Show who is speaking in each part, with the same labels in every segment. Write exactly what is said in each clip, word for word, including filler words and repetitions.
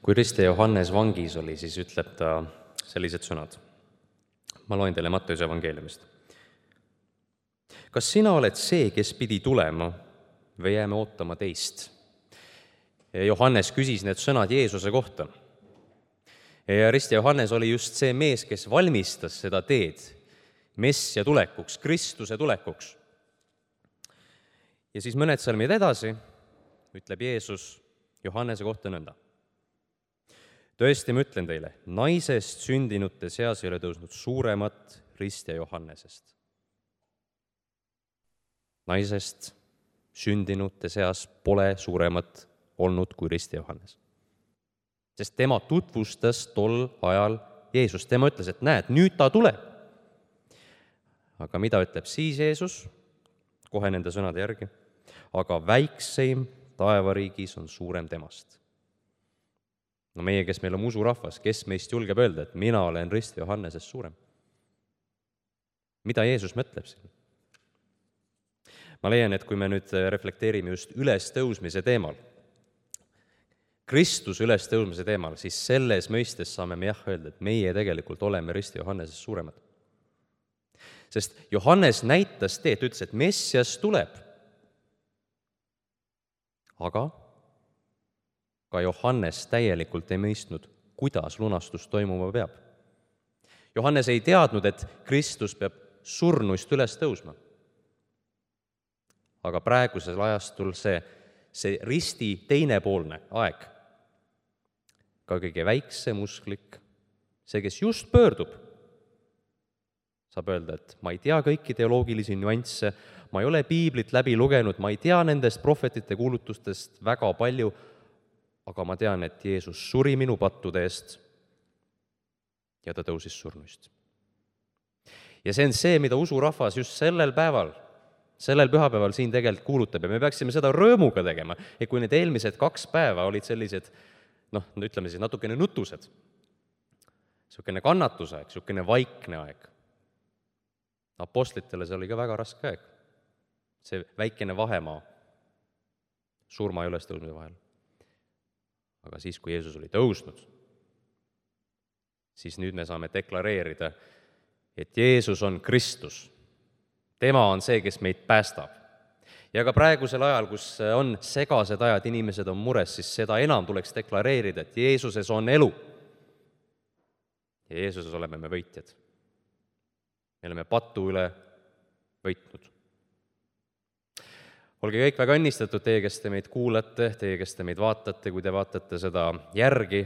Speaker 1: Kui Rist ja Johannes vangis oli, siis ütleb ta sellised sõnad. Ma loen teile Matteuse evangeeliumist. Kas sina oled see, kes pidi tulema või jääme ootama teist? Johannes küsis need sõnad Jeesuse kohta. Ja Rist ja Johannes oli just see mees, kes valmistas seda teed Messia tulekuks, Kristuse tulekuks. Ja siis mõned salmid edasi ütleb Jeesus Johannese kohta nõnda. Tõesti, ma ütlen teile, naisest sündinute seas ei ole tõusnud suuremat Rist ja Johannesest. Naisest sündinute seas pole suuremat olnud kui Rist ja Johannes. Sest tema tutvustas tol ajal Jeesus. Tema ütles, et näed, nüüd ta tuleb. Aga mida ütleb siis Jeesus? Kohe nende sõnade järgi. Aga väikseim taevariigis on suurem temast. No meie, kes meil on usurahvas, kes meist julgeb öelda, et mina olen Rist ja Johannesest suurem? Mida Jeesus mõtleb siin? Ma leian, et kui me nüüd reflekteerime just ülestõusmise teemal, Kristuse ülestõusmise teemal, siis selles mõistes saame me jah öelda, et meie tegelikult oleme Rist ja Johannesest suuremad. Sest Johannes näitas teed, ütles, et Messias tuleb. Aga ka Johannes täielikult ei mõistnud, kuidas lunastus toimuma peab. Johannes ei teadnud, et Kristus peab surnuist üles tõusma. Aga praegusel ajastul see, see risti teinepoolne aeg, ka kõige väiksem usklik, see, kes just pöördub, saab öelda, et ma ei tea kõiki teoloogilisi nüansse, ma ei ole piiblit läbi lugenud, ma ei tea nendest prohvetite kuulutustest väga palju, aga ma tean, et Jeesus suri minu pattude eest ja ta tõusis surnuist. Ja see on see, mida usurahvas just sellel päeval, sellel pühapäeval siin tegelikult kuulutab ja me peaksime seda rõõmuga tegema. Ja kui need eelmised kaks päeva olid sellised, noh, ütleme siis natukene nutused, niisugune kannatusaeg, niisugune vaikne aeg. Apostlitele see oli ka väga raske aeg. See väikene vahemaa surma ja ülestõusmise vahel. Aga siis, kui Jeesus oli tõusnud, siis nüüd me saame deklareerida, et Jeesus on Kristus. Tema on see, kes meid päästab. Ja ka praegusel ajal, kus on segased ajad, inimesed on mures, siis seda enam tuleks deklareerida, et Jeesuses on elu. Ja Jeesuses oleme me võitjad. Me oleme patu üle võitnud. Olge kõik väga õnnistatud, teie, kes te meid kuulate, teie, kes te meid vaatate, kui te vaatate seda järgi,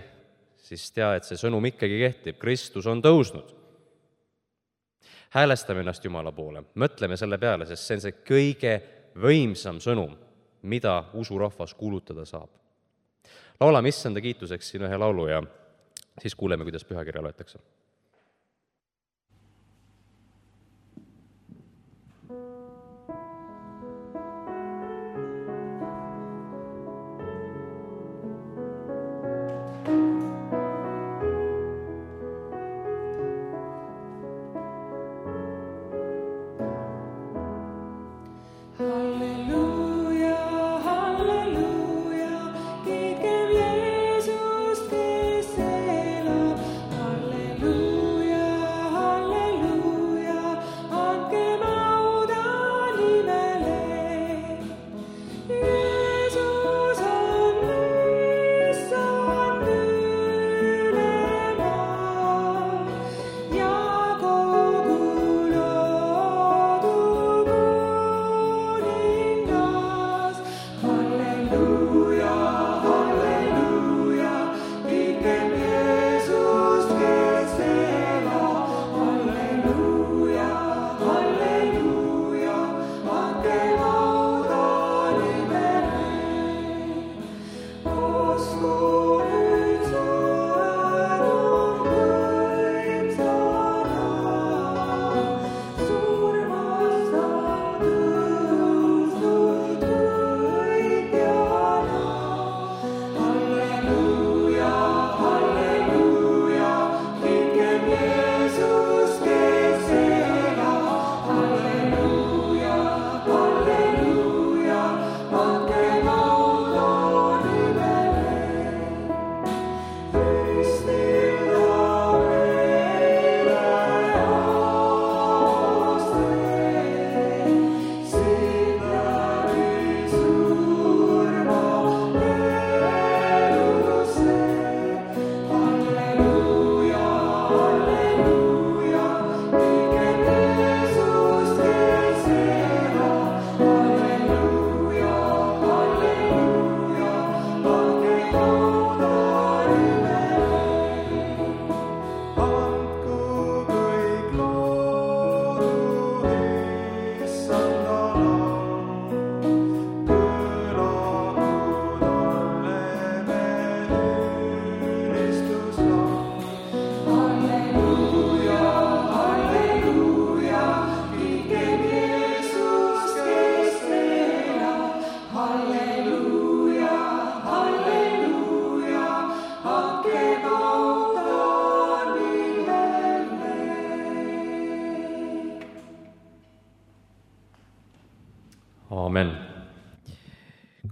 Speaker 1: siis tea, et see sõnum ikkagi kehtib. Kristus on tõusnud. Häälestame ennast Jumala poole. Mõtleme selle peale, sest see on see kõige võimsam sõnum, mida usurahvas kuulutada saab. Laulame issanda kiituseks siin ühe laulu ja siis kuuleme, kuidas pühakirja loetakse.
Speaker 2: Hallelujah,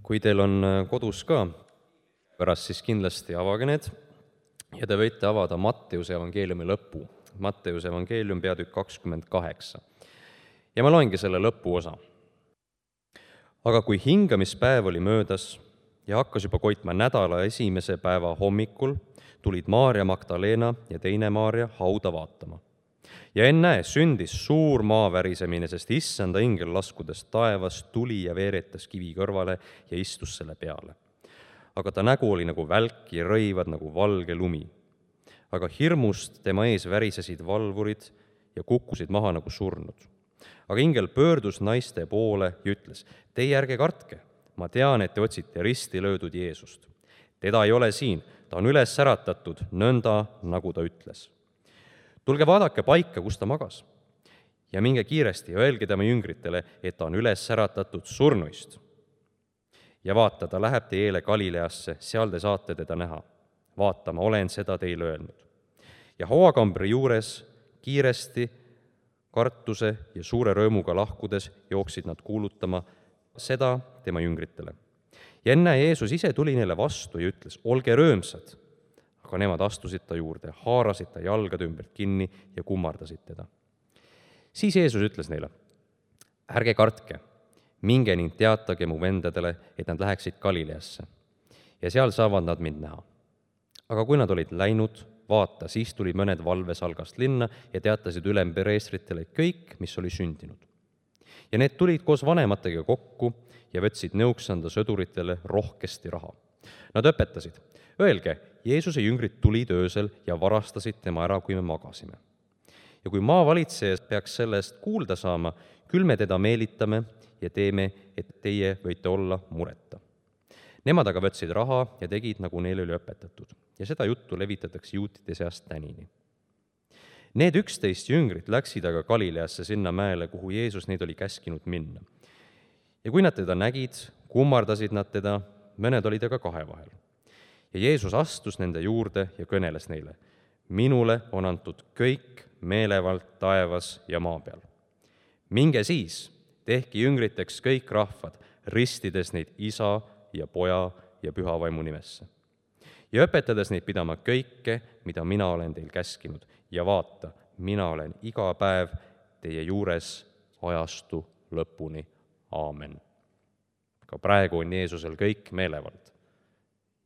Speaker 1: kui teil on kodus ka pärast, siis kindlasti avage need ja te võite avada Matteuse evangeeliumi lõpu. Matteuse evangeelium peatükk kakskümmend kaheksa. Ja ma loengi selle lõpuosa. Aga kui hingamispäev oli möödas ja hakkas juba koitma nädala esimese päeva hommikul, tulid Maarja Magdalena ja teine Maarja hauda vaatama. Ja ennäe, sündis suur maavärisemine, sest issanda ingel laskudes taevas tuli ja veeretas kivi kõrvale ja istus selle peale. Aga ta nägu oli nagu välk ja rõivad nagu valge lumi. Aga hirmust tema ees värisesid valvurid ja kukkusid maha nagu surnud. Aga ingel pöördus naiste poole ja ütles, teie ärge kartke, ma tean, et te otsite risti löödud Jeesust. Teda ei ole siin, ta on üles äratatud, nõnda nagu ta ütles. Tulge vaadake paika, kus ta magas. Ja minge kiiresti ja öelge tema jüngritele, et ta on üles äratatud surnuist. Ja vaata, ta läheb teie eele Galileasse, seal te saate teda näha. Vaata, ma olen seda teile öelnud. Ja hooakambri juures kiiresti, kartuse ja suure rõõmuga lahkudes jooksid nad kuulutama seda tema jüngritele. Ja enne Jeesus ise tuli neile vastu ja ütles, olge rõõmsad. Aga nemad astusid ta juurde, haarasid ta jalgade ümbert kinni ja kummardasid teda. Siis Jeesus ütles neile, ärge kartke, minge ning teatage mu vendadele, et nad läheksid Galileasse. Ja seal saavad nad mind näha. Aga kui nad olid läinud, vaata, siis tulid mõned valvesalgast linna ja teatasid ülempreestritele kõik, mis oli sündinud. Ja need tulid koos vanematega kokku ja võtsid nõuksanda sõduritele rohkesti raha. Nad õpetasid, öelge, Jeesuse jüngrid tulid öösel ja varastasid tema ära, kui me magasime. Ja kui maavalitseja peaks sellest kuulda saama, küll me teda meelitame ja teeme, et teie võite olla mureta. Nemad aga võtsid raha ja tegid, nagu neile oli õpetatud. Ja seda juttu levitatakse juutide seast tänini. Need üksteist jüngrit läksid aga Galileasse sinna mäele, kuhu Jeesus neid oli käskinud minna. Ja kui nad teda nägid, kummardasid nad teda, mõned olid aga kahe vahel. Ja Jeesus astus nende juurde ja kõneles neile, minule on antud kõik meelevald taevas ja maa peal. Minge siis, tehke jüngriteks kõik rahvad, ristides neid isa ja poja ja püha vaimu nimesse. Ja õpetades neid pidama kõike, mida mina olen teil käskinud. Ja vaata, mina olen iga päev teie juures ajastu lõpuni. Aamen. Ka praegu on Jeesusel kõik meelevald.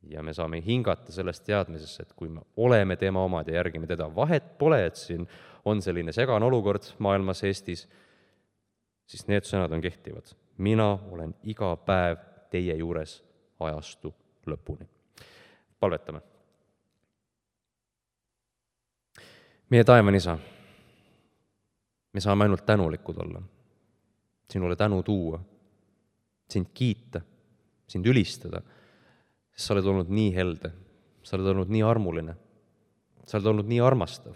Speaker 1: Ja me saame hingata sellest teadmisesse, et kui me oleme tema omad ja järgime teda, vahet pole, et siin on selline segane olukord maailmas Eestis, siis need sõnad on kehtivad. Mina olen iga päev teie juures ajastu lõpuni. Palvetame. Meie taevane isa, me saame ainult tänulikud olla, sinule tänu tuua, sind kiita, sind ülistada, sest sa oled olnud nii helde, sa oled olnud nii armuline, sa oled olnud nii armastav.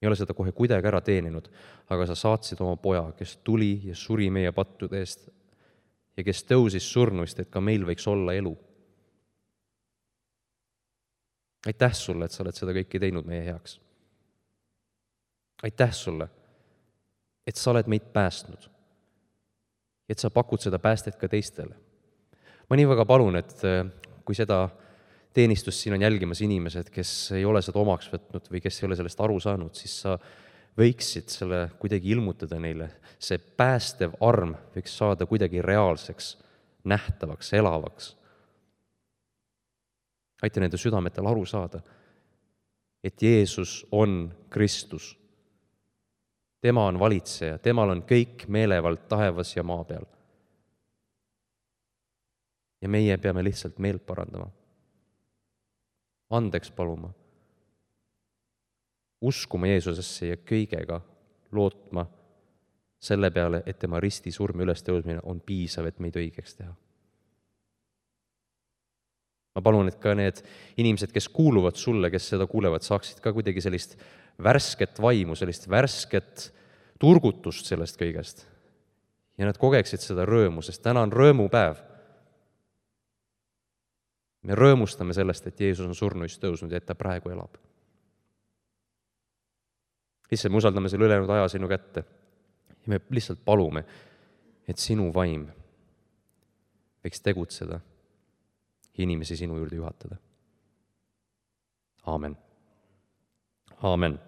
Speaker 1: Ei ole seda kohe kuidagi ära teeninud, aga sa saatsid oma poja, kes tuli ja suri meie pattude eest ja kes tõusis surnuist, et ka meil võiks olla elu. Aitäh sulle, et sa oled seda kõike teinud meie heaks. Aitäh sulle, et sa oled meid päästnud, et sa pakud seda päästet ka teistele. Ma nii väga palun, et kui seda teenistust siin on jälgimas inimesed, kes ei ole seda omaks võtnud või kes ei ole sellest aru saanud, siis sa võiksid selle kuidagi ilmutada neile. See päästev arm võiks saada kuidagi reaalseks, nähtavaks, elavaks. Aita nende südametel aru saada, et Jeesus on Kristus. Tema on valitseja, temal on kõik meelevald taevas ja maa peal. Ja meie peame lihtsalt meelt parandama. Andeks paluma. Uskuma Jeesusesse ja kõigega lootma selle peale, et tema risti surmi üles tõusmine on piisav, et meid õigeks teha. Ma palun, et ka need inimesed, kes kuuluvad sulle, kes seda kuulevad, saaksid ka kuidagi sellist värsket vaimu, sellist värsket turgutust sellest kõigest. Ja nad kogeksid seda rõõmu, sest täna on rõõmupäev. Me rõõmustame sellest, et Jeesus on surnuist tõusnud ja et ta praegu elab. Lihtsalt me usaldame selle ülejäänud aja sinu kätte ja me lihtsalt palume, et sinu vaim võiks tegutseda, inimesi sinu juurde juhatada. Aamen. Aamen.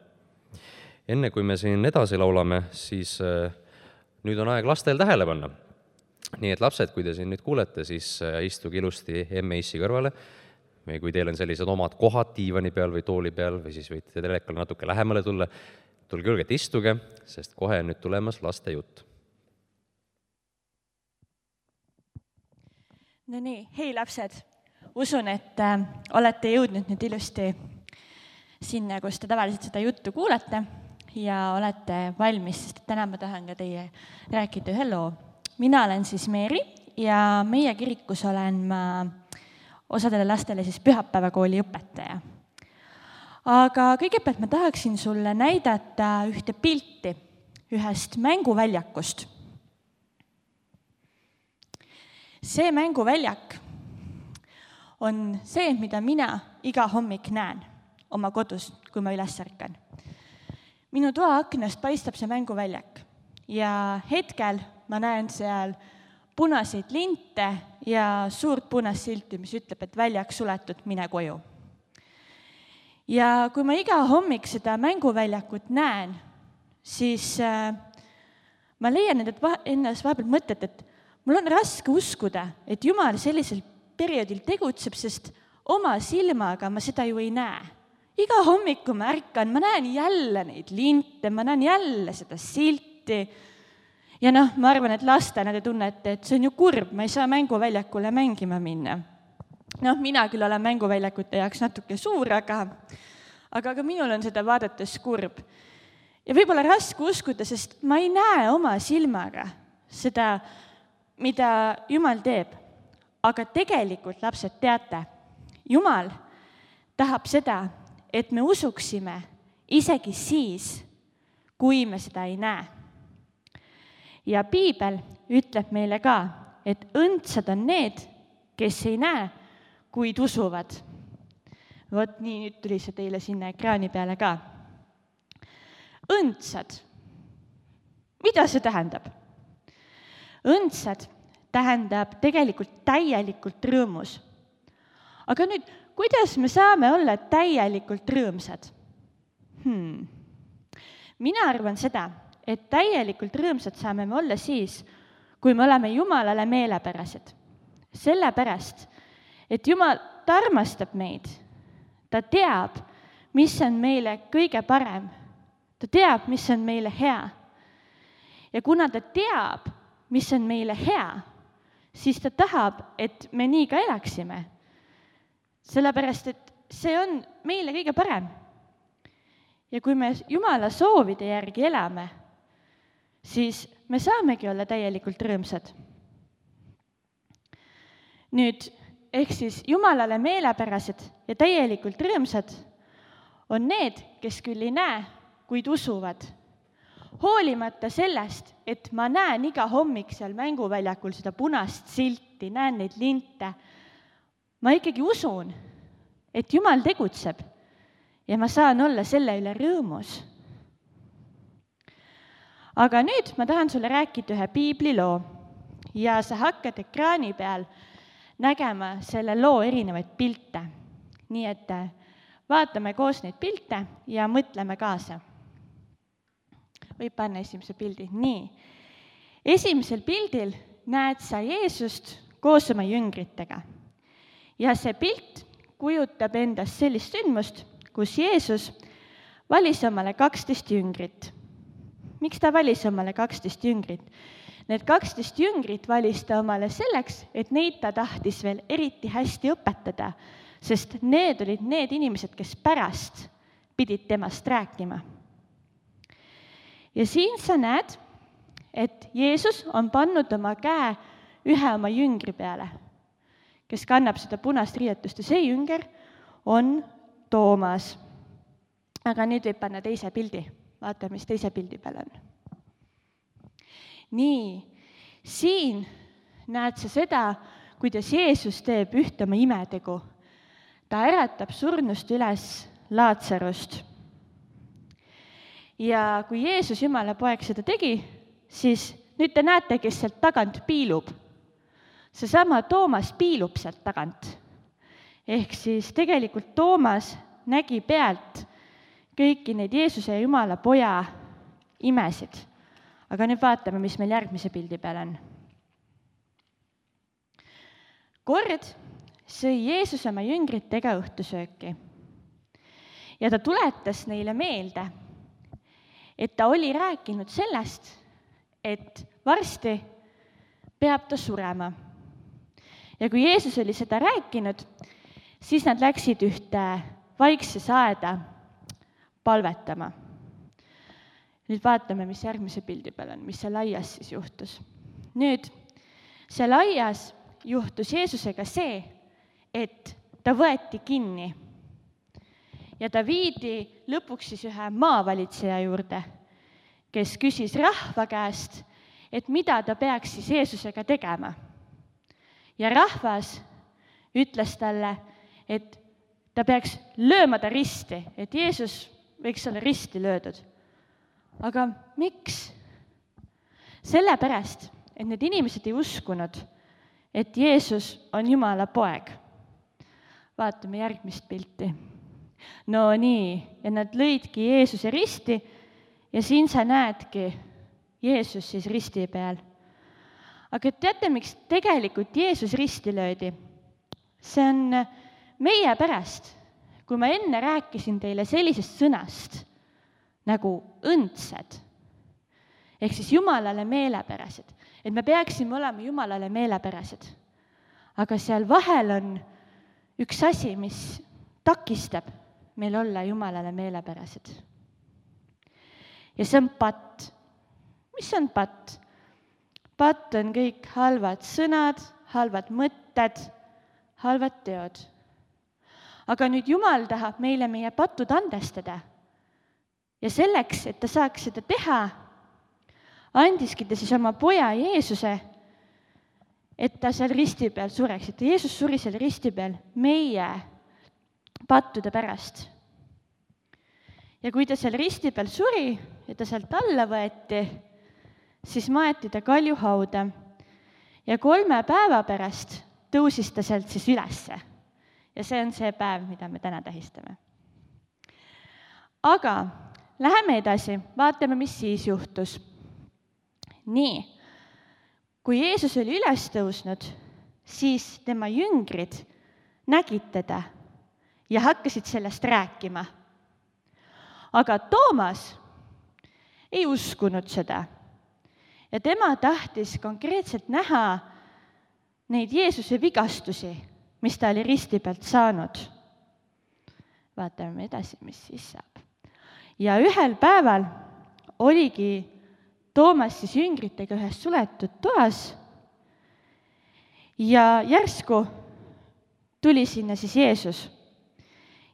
Speaker 1: Enne kui me siin edasi laulame, siis nüüd on aeg lastel tähele panna. Nii et lapsed, kui te siin nüüd kuulete, siis istuge ilusti emme issi kõrvale, või kui teil on sellised omad kohad diivani peal või tooli peal, või siis võite telekale natuke lähemale tulla, tulge julgelt istuge, sest kohe on nüüd tulemas laste jutt.
Speaker 2: No nii, hei lapsed, usun, et äh, olete jõudnud nüüd ilusti sinna, kus te tavaliselt seda juttu kuulete ja olete valmis, sest täna ma tahan ka teie rääkida ühe loo. Mina olen siis Meeri ja meie kirikus olen ma osadele lastele siis pühapäevakooli õpetaja. Aga kõigepealt ma tahaksin sulle näidata ühte pilti ühest mänguväljakust. See mänguväljak on see, mida mina iga hommik näen oma kodus, kui ma üles ärkan. Minu toa aknast paistab see mänguväljak ja hetkel ma näen seal punaseid linte ja suurt punast silti, mis ütleb, et väljak suletud, mine koju. Ja kui ma iga hommik seda mänguväljakut näen, siis äh, ma leian endas vahepeal mõtet, et mul on raske uskuda, et Jumal sellisel perioodil tegutseb, sest oma silmaga ma seda ju ei näe. Iga hommiku ma ärkan, ma näen jälle neid linte, ma näen jälle seda silti. Ja noh, ma arvan, et lastena te tunnete, et see on ju kurb, ma ei saa mänguväljakule mängima minna. Noh, mina küll olen mänguväljakute jaoks natuke suur, aga, aga ka minul on seda vaadates kurb. Ja võib-olla raske uskuda, sest ma ei näe oma silmaga seda, mida Jumal teeb. Aga tegelikult, lapsed, teate, Jumal tahab seda, et me usuksime isegi siis, kui me seda ei näe. Ja Piibel ütleb meile ka, et õndsad on need, kes ei näe, kuid usuvad. Vot nii, nüüd tuli see teile sinna ekraani peale ka. Õndsad. Mida see tähendab? Õndsad tähendab tegelikult täielikult rõõmus. Aga nüüd, kuidas me saame olla täielikult rõõmsad? Hmm. Mina arvan seda, et täielikult rõõmsad saame me olla siis, kui me oleme Jumalale meelepärased. Sellepärast, et Jumal ta armastab meid. Ta teab, mis on meile kõige parem. Ta teab, mis on meile hea. Ja kuna ta teab, mis on meile hea, siis ta tahab, et me nii ka elaksime. Sellepärast, et see on meile kõige parem. Ja kui me Jumala soovide järgi elame, siis me saamegi olla täielikult rõõmsad. Nüüd, ehk siis Jumalale meelepärased ja täielikult rõõmsad on need, kes küll ei näe, kuid usuvad. Hoolimata sellest, et ma näen iga hommik seal mänguväljakul seda punast silti, näen neid linte, ma ikkagi usun, et Jumal tegutseb ja ma saan olla selle üle rõõmus. Aga nüüd ma tahan sulle rääkida ühe piibliloo ja sa hakkad ekraani peal nägema selle loo erinevaid pilte. Nii et vaatame koos neid pilte ja mõtleme kaasa. Võib panna esimese pildi. Nii. Esimesel pildil näed sa Jeesust koos oma jüngritega. Ja see pilt kujutab endast sellist sündmust, kus Jeesus valis omale kaksteist jüngrit. Miks ta valis omale kaksteist jüngrit? Need kaksteist jüngrit valis ta omale selleks, et neid ta tahtis veel eriti hästi õpetada, sest need olid need inimesed, kes pärast pidid temast rääkima. Ja siin sa näed, et Jeesus on pannud oma käe ühe oma jüngri peale, kes kannab seda punast riietust ja see jünger on Toomas. Aga nüüd võib panna teise pildi. Vaata, mis teise pildi peal on. Nii, siin näed sa seda, kuidas Jeesus teeb ühte oma imetegu. Ta äratab surnust üles Laatsarust. Ja kui Jeesus, Jumala poeg, seda tegi, siis nüüd te näete, kes sealt tagant piilub. seesama Toomas piilub sealt tagant. Ehk siis tegelikult Toomas nägi pealt kõiki neid Jeesuse ja Jumala poja imesid. Aga nüüd vaatame, mis meil järgmise pildi peal on. Kord sõi Jeesus oma jüngritega õhtusööki ja ta tuletas neile meelde, et ta oli rääkinud sellest, et varsti peab ta surema. Ja kui Jeesus oli seda rääkinud, siis nad läksid ühte vaikses aeda palvetama. Nüüd vaatame, mis järgmise pildi peal on, mis seal aias siis juhtus. Nüüd, seal aias juhtus Jeesusega see, et ta võeti kinni ja ta viidi lõpuks siis ühe maavalitseja juurde, kes küsis rahva käest, et mida ta peaks siis Jeesusega tegema. Ja rahvas ütles talle, et ta peaks lööma ta risti, et Jeesus võiks olla risti löödud. Aga miks? Sellepärast, et need inimesed ei uskunud, et Jeesus on Jumala poeg. Vaatame järgmist pilti. No nii, ja nad lõidki Jeesuse risti ja siin sa näedki Jeesus siis risti peal. Aga teate, miks tegelikult Jeesus risti löödi? See on meie pärast, kui ma enne rääkisin teile sellisest sõnast nagu õndsed, ehk siis Jumalale meelepärased, et me peaksime olema Jumalale meelepärased. Aga seal vahel on üks asi, mis takistab meil olla Jumalale meelepärased. Ja see on patt. Mis on patt? Patt on kõik halvad sõnad, halvad mõtted, halvad teod. Aga nüüd Jumal tahab meile meie patud andestada. Ja selleks, et ta saaks seda teha, andiski ta siis oma poja Jeesuse, et ta seal risti peal sureks. Et Jeesus suri seal risti peal meie pattude pärast. Ja kui ta seal risti peal suri ja ta sealt alla võeti, siis maeti ta kaljuhauda ja kolme päeva pärast tõusis ta sealt siis ülesse. Ja see on see päev, mida me täna tähistame. Aga läheme edasi, vaatame, mis siis juhtus. Nii, kui Jeesus oli üles tõusnud, siis tema jüngrid nägid teda ja hakkasid sellest rääkima. Aga Toomas ei uskunud seda ja tema tahtis konkreetselt näha neid Jeesuse vigastusi, mis ta oli risti pealt saanud. Vaatame edasi, mis siis saab. Ja ühel päeval oligi Toomas siis jüngritega ühes suletud toas ja järsku tuli sinna siis Jeesus.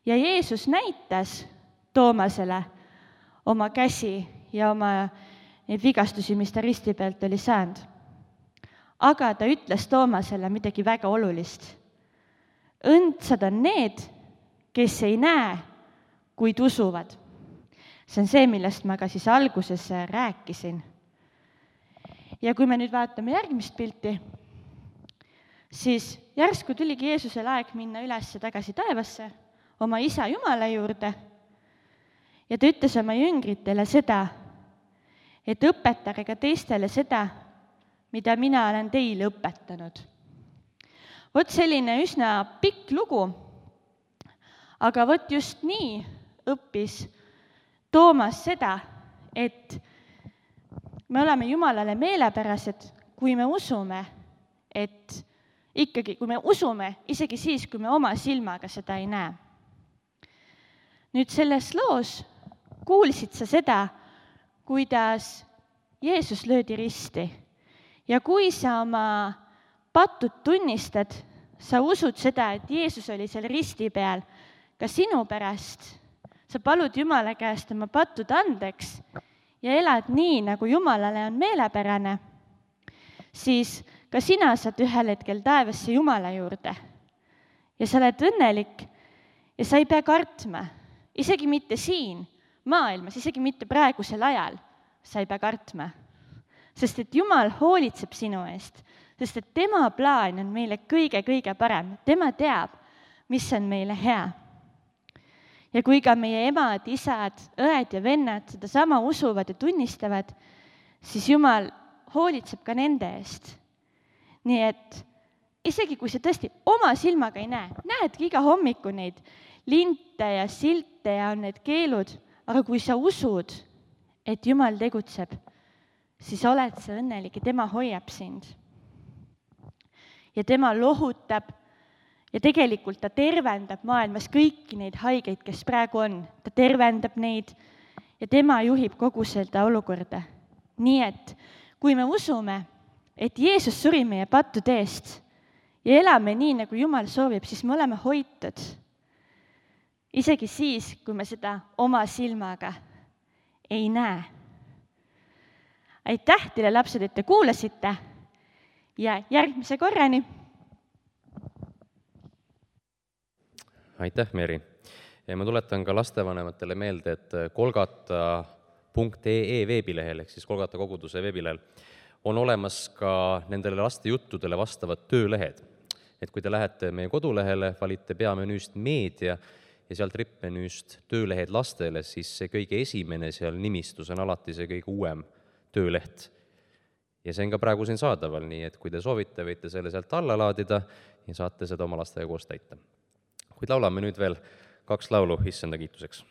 Speaker 2: Ja Jeesus näitas Toomasele oma käsi ja oma neid vigastusi, mis ta risti pealt oli saanud. Aga ta ütles Toomasele midagi väga olulist. Õndsad on need, kes ei näe, kuid usuvad. See on see, millest ma ka siis alguses rääkisin. Ja kui me nüüd vaatame järgmist pilti, siis järsku tuligi Jeesusel aeg minna üles tagasi taevasse, oma isa Jumala juurde, ja ta ütles oma jüngritele seda, et õpetage ka teistele seda, mida mina olen teile õpetanud. Vot selline üsna pikk lugu, aga vot just nii õppis Toomas seda, et me oleme Jumalale meelepärased, kui me usume, et ikkagi, kui me usume, isegi siis, kui me oma silmaga seda ei näe. Nüüd selles loos kuulsid sa seda, kuidas Jeesus löödi risti. Ja kui sa oma patud tunnistad, sa usud seda, et Jeesus oli seal risti peal ka sinu pärast, sa palud Jumala käest oma patud andeks ja elad nii, nagu Jumalale on meelepärane, siis ka sina saad ühel hetkel taevasse Jumala juurde. Ja sa oled õnnelik ja sa ei pea kartma, isegi mitte siin maailmas, isegi mitte praegusel ajal, sa ei pea kartma. Sest et Jumal hoolitseb sinu eest, sest et tema plaan on meile kõige-kõige parem, tema teab, mis on meile hea. Ja kui ka meie emad, isad, õed ja vennad sedasama usuvad ja tunnistavad, siis Jumal hoolitseb ka nende eest. Nii et isegi kui sa tõesti oma silmaga ei näe, näedki iga hommiku neid linte ja silte ja on need keelud, aga kui sa usud, et Jumal tegutseb, siis oled sa õnnelik ja tema hoiab sind. Ja tema lohutab ja tegelikult ta tervendab maailmas kõiki neid haigeid, kes praegu on. Ta tervendab neid ja tema juhib kogu seda olukorda. Nii et kui me usume, et Jeesus suri meie pattude eest ja elame nii, nagu Jumal soovib, siis me oleme hoitud. Isegi siis, kui me seda oma silmaga ei näe. Aitäh teile, lapsed, et te kuulasite ja järgmise korrani.
Speaker 1: Aitäh, Meri. Ja ma tuletan ka lastevanematele meelde, et kolgata punkt ee veebilehel, ehk siis Kolgata koguduse veebilehel, on olemas ka nendele laste juttudele vastavad töölehed. Et kui te lähete meie kodulehele, valite peamenüüst meedia ja sealt rippmenüüst töölehed lastele, siis see kõige esimene seal nimistus on alati see kõige uuem tööleht. Ja see on ka praegu siin saadaval, nii et kui te soovite, võite selle sealt alla laadida ja saate seda oma lastega koos täita. Kuid laulame nüüd veel kaks laulu issanda kiituseks.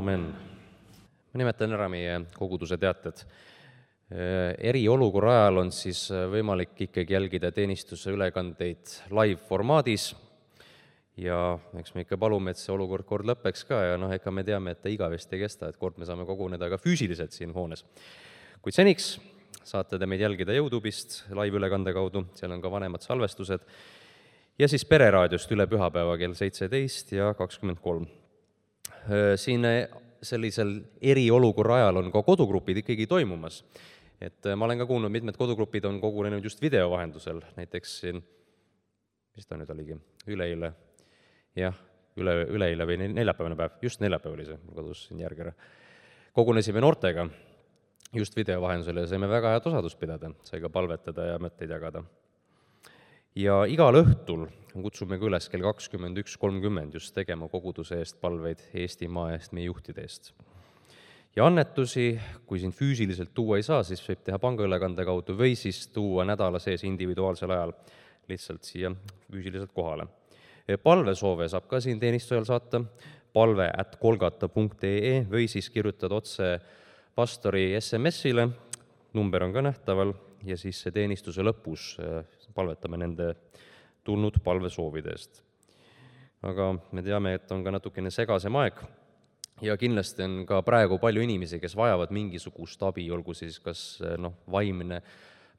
Speaker 1: amen. Ma nimetan ära meie koguduse teated. Eriolukorra ajal on siis võimalik ikkagi jälgida teenistuse ülekandeid live-formaadis ja eks me ikka palume, et see olukord kord lõpeks ka ja noh, ega me teame, et ta igavesti ei kesta, et kord me saame koguneda ka füüsiliselt siin hoones. Kuid seniks saate te meid jälgida YouTube'ist live-ülekande kaudu, seal on ka vanemad salvestused ja siis Pereraadiost üle pühapäeva kell seitseteist ja kakskümmend kolm. Siin sellisel eriolukorra ajal on ka kodugrupid ikkagi toimumas. Et ma olen ka kuulnud, mitmed kodugrupid on kogunenud just video vahendusel, näiteks siin, mis ta nüüd oligi, üleeile, jah, üle, üleeile või neljapäevane päev, just neljapäev oli see, mul kadus siin järgi ära. Kogunesime noortega just video vahendusel ja saime väga head osadust pidada, sai ka palvetada ja mõtteid jagada. Ja igal õhtul kutsume ka üles kell kakskümmend üks kolmkümmend just tegema koguduse eest palveid Eestimaa eest, meie juhtide eest. Ja annetusi, kui siin füüsiliselt tuua ei saa, siis võib teha pangaülekande kaudu või siis tuua nädala sees individuaalsel ajal lihtsalt siia füüsiliselt kohale. Palvesoove saab ka siin teenistujal saata, palve at kolgata punkt ee või siis kirjutada otse pastori es em esile, number on ka nähtaval ja siis see teenistuse lõpus palvetame nende tulnud palvesoovide eest. Aga me teame, et on ka natukene segasem aeg, ja kindlasti on ka praegu palju inimesi, kes vajavad mingisugust abi, olgu siis kas noh, vaimne,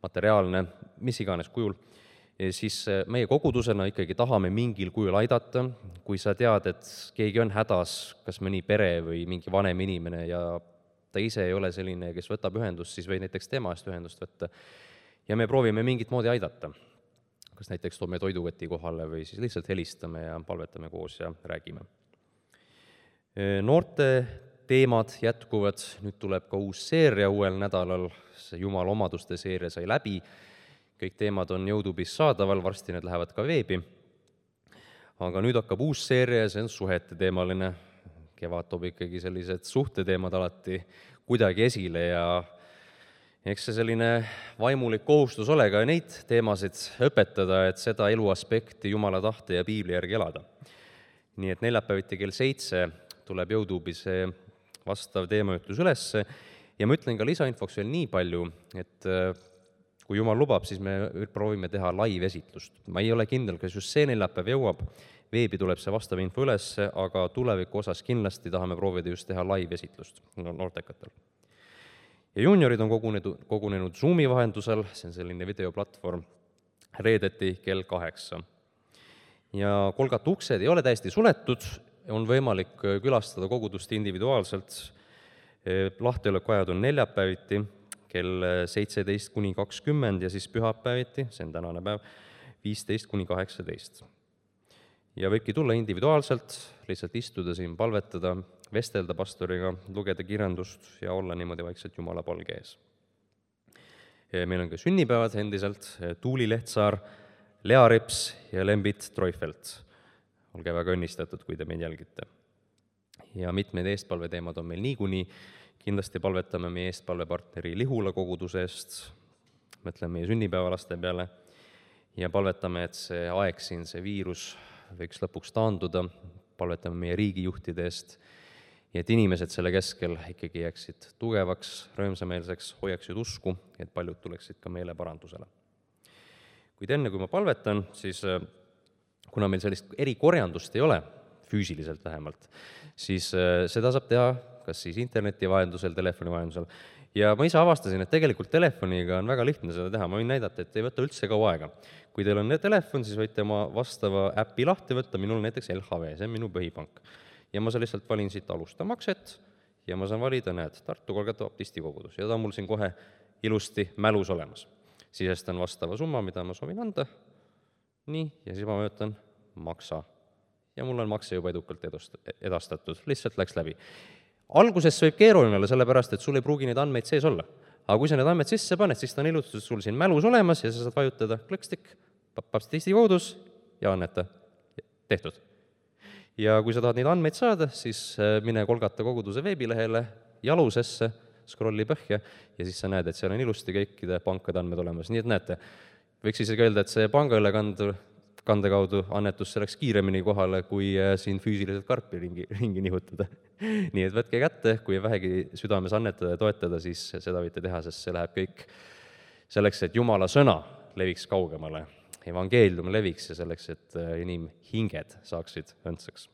Speaker 1: materiaalne, mis iganes kujul, ja siis meie kogudusena ikkagi tahame mingil kujul aidata, kui sa tead, et keegi on hädas, kas mõni pere või mingi vanem inimene ja ta ise ei ole selline, kes võtab ühendust, siis või näiteks tema eest ühendust võtta ja me proovime mingit moodi aidata. Kas näiteks toome toidukoti kohale või siis lihtsalt helistame ja palvetame koos ja räägime. Noorte teemad jätkuvad, nüüd tuleb ka uus seeria uuel nädalal, see Jumala omaduste seeria sai läbi, kõik teemad on YouTube'is saadaval, varsti need lähevad ka veebi. Aga nüüd hakkab uus seeria ja see on suhete teemaline, kevad toob ikkagi sellised suhteteemad alati kuidagi esile ja eks see selline vaimulik kohustus ole ka neid teemasid õpetada, et seda eluaspekti Jumala tahte ja Piibli järgi elada. Nii et neljapäeviti kell seitse tuleb YouTube'i see vastav teemaütlus ülesse ja ma ütlen ka lisainfoks veel nii palju, et kui Jumal lubab, siis me proovime teha live-esitlust. Ma ei ole kindel, kas just see neljapäev jõuab, veebi tuleb see vastav info ülesse, aga tuleviku osas kindlasti tahame proovida just teha live-esitlust noortekatel. Ja juniorid on kogunenud, kogunenud Zoomi vahendusel, see on selline videoplatvorm, reedeti kell kaheksa. Ja kolgata uksed ei ole täiesti suletud, on võimalik külastada kogudust individuaalselt, lahtiolekuajad on neljapäeviti kell seitseteist kuni kakskümmend ja siis pühapäeviti, see on tänane päev, viisteist kuni kaheksateist. Ja võibki tulla individuaalselt, lihtsalt istuda siin, palvetada, vestelda pastoriga, lugeda kirjandust ja olla niimoodi vaikselt Jumala palge ees. Meil on ka sünnipäevad endiselt, Tuuli Lehtsaar, Lea Rips ja Lembit Treufelt. Olge väga õnnistatud, kui te meid jälgite. Ja mitmed eestpalveteemad on meil niikuni, kindlasti palvetame meie eestpalvepartneri Lihula koguduse eest, mõtleme meie sünnipäevalaste peale ja palvetame, et see aeg siin, see viirus võiks lõpuks taanduda, palvetame meie riigijuhtide eest ja et inimesed selle keskel ikkagi jääksid tugevaks, rõõmsameelseks, hoiaksid usku, et paljud tuleksid ka meeleparandusele. Kuid enne, kui ma palvetan, siis kuna meil sellist erikorjandust ei ole, füüsiliselt vähemalt, siis seda saab teha kas siis interneti vahendusel, telefoni vahendusel. Ja ma ise avastasin, et tegelikult telefoniga on väga lihtne seda teha, ma võin näidata, et ei võta üldse kaua aega. Kui teil on telefon, siis võite oma vastava äppi lahti võtta, minul näiteks L H V, see on minu põhipank. Ja ma lihtsalt valin siit alusta makset ja ma saan valida, näed, Tartu kolmkümmend baptisti kogudus ja ta on mul siin kohe ilusti mälus olemas. Sisestan vastava summa, mida ma soovin anda. Nii, ja siis ma möötan maksa. Ja mul on makse juba edukalt edastatud, lihtsalt läks läbi. Alguses see võib keeruline olla, sellepärast, et sul ei pruugi neid andmeid sees olla. Aga kui sa need andmeid sisse paned, siis ta on ilustatud sul siin mälus olemas ja sa saad vajutada klõkstik, baptisti kogudus ja anneta. Tehtud. Ja kui sa tahad neid andmeid saada, siis mine Kolgata koguduse veebilehele jalusesse, scrolli põhja ja siis sa näed, et seal on ilusti kõikide pankade andmed olemas. Nii et näete, võiks isegi öelda, et see pangaülekand kande kaudu annetus läks kiiremini kohale, kui siin füüsiliselt karpi ringi, ringi nihutada. Nii et võtke kätte, kui vähegi südames annetada ja toetada, siis seda võite teha, sest see läheb kõik selleks, et Jumala sõna leviks kaugemale, evangeelium leviks ja selleks, et inimhinged saaksid õndsaks.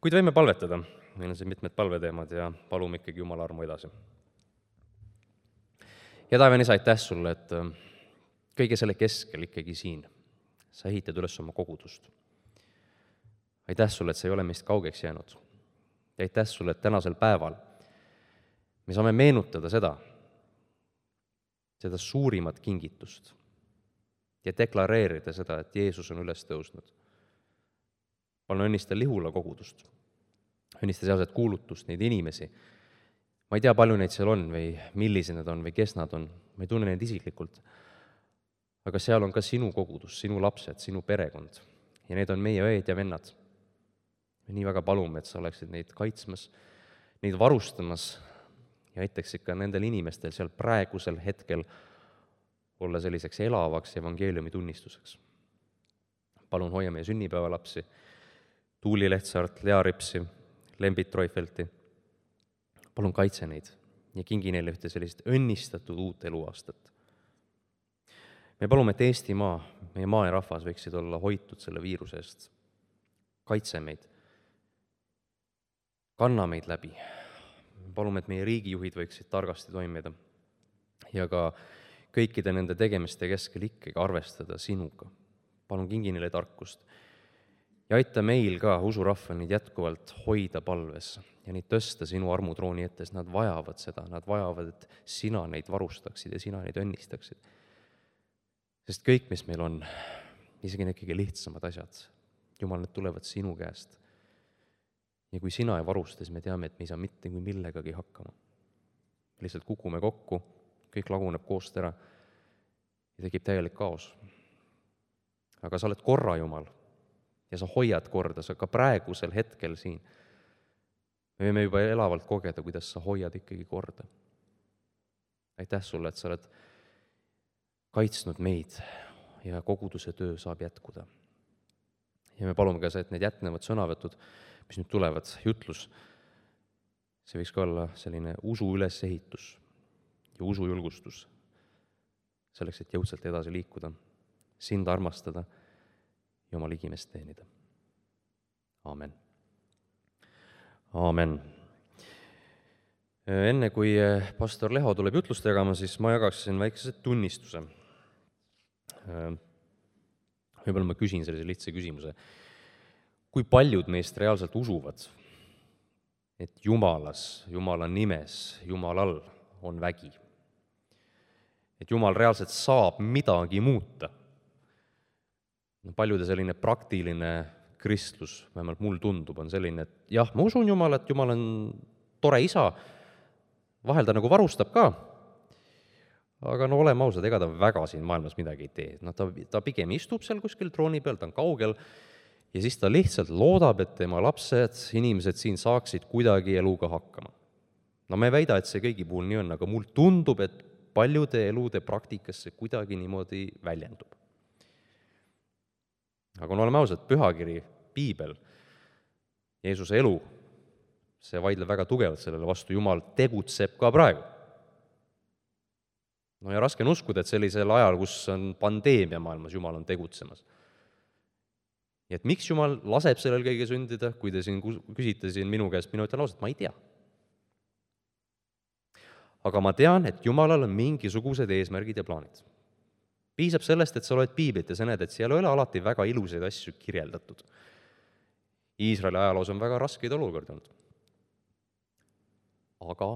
Speaker 1: Kuid võime palvetada, meil on siin mitmed palveteemad ja palume ikkagi Jumala armu edasi. Ja taevane isa, aitäh sulle, et kõige selle keskel ikkagi siin sa ehitad üles oma kogudust. Aitäh sulle, et sa ei ole meist kaugeks jäänud. Ja aitäh sulle, et tänasel päeval me saame meenutada seda, seda suurimat kingitust ja deklareerida seda, et Jeesus on üles tõusnud. Palun õnnista Lihula kogudust, õnnista sealset kuulutust, neid inimesi. Ma ei tea, palju neid seal on või millised nad on või kes nad on, ma ei tunne neid isiklikult. Aga seal on ka sinu kogudus, sinu lapsed, sinu perekond ja need on meie õed ja vennad. Me nii väga palume, et sa oleksid neid kaitsmas, neid varustamas ja aitaksid ka nendel inimestel seal praegusel hetkel olla selliseks elavaks evangeeliumi tunnistuseks. Palun hoia meie sünnipäevalapsi, Tuuli Lehtsaart, Lea Ripsi, Lembit Troifelti. Palun kaitse neid ja kingi neile ühte sellist õnnistatud uut eluaastat. Me palume, et Eestimaa, meie maa ja rahvas võiksid olla hoitud selle viiruse eest. Kaitse meid. Kanna meid läbi. Palume, et meie riigijuhid võiksid targasti toimida ja ka kõikide nende tegemiste keskel ikkagi arvestada sinuga. Palun kingi neile tarkust ja aita meil ka usurahval neid jätkuvalt hoida palves ja neid tõsta sinu armutrooni ette, sest nad vajavad seda, nad vajavad, et sina neid varustaksid ja sina neid õnnistaksid. Sest kõik, mis meil on, isegi need kõige lihtsamad asjad, Jumal, need tulevad sinu käest. Ja kui sina ei varusta, siis me teame, et me ei saa mitte kui millegagi hakkama. Me lihtsalt kukume kokku, kõik laguneb koost ära ja tekib täielik kaos. Aga sa oled korra Jumal ja sa hoiad korda, sa ka praegusel hetkel siin. Me võime juba elavalt kogeda, kuidas sa hoiad ikkagi korda. Aitäh sulle, et sa oled kaitsnud meid ja koguduse töö saab jätkuda. Ja me palume ka see, et need jätnevad sõnavõtud, mis nüüd tulevad, jutlus, see võiks ka olla selline usu ülesehitus ja usu julgustus selleks, et jõudsalt edasi liikuda, sind armastada ja oma ligimest teenida. Aamen. Aamen. Enne kui pastor Leho tuleb jutlust jagama, siis ma jagaksin väikese tunnistuse. Võib-olla ma küsin sellise lihtsa küsimuse. Kui paljud meist reaalselt usuvad, et Jumalas, Jumala nimes, Jumalal on vägi? Et Jumal reaalselt saab midagi muuta? No, paljude selline praktiline kristlus, vähemalt mul tundub, on selline, et jah, ma usun Jumal, et Jumal on tore isa, vahel ta nagu varustab ka, aga no oleme ausad, ega ta väga siin maailmas midagi ei tee. No, ta, ta pigem istub seal kuskil trooni peal, ta on kaugel ja siis ta lihtsalt loodab, et tema lapsed, inimesed siin saaksid kuidagi eluga hakkama. No me ei väida, et see kõigi puhul nii on, aga mul tundub, et paljude elude praktikas see kuidagi niimoodi väljendub. Aga no oleme ausad, pühakiri, piibel, Jeesuse elu, see vaidleb väga tugevalt sellele vastu, Jumal tegutseb ka praegu. No ja raske on uskuda, et sellisel ajal, kus on pandeemia maailmas, Jumal on tegutsemas. Ja et miks Jumal laseb sellel kõige sündida, kui te siin küsite siin minu käest, minu ütlen ausalt, ma ei tea. Aga ma tean, et Jumalal on mingisugused eesmärgid ja plaanid. Piisab sellest, et sa loed piiblit ja sa näed, et seal ei ole alati väga ilusaid asju kirjeldatud. Iisraeli ajaloos on väga raskeid olukordi olnud. Aga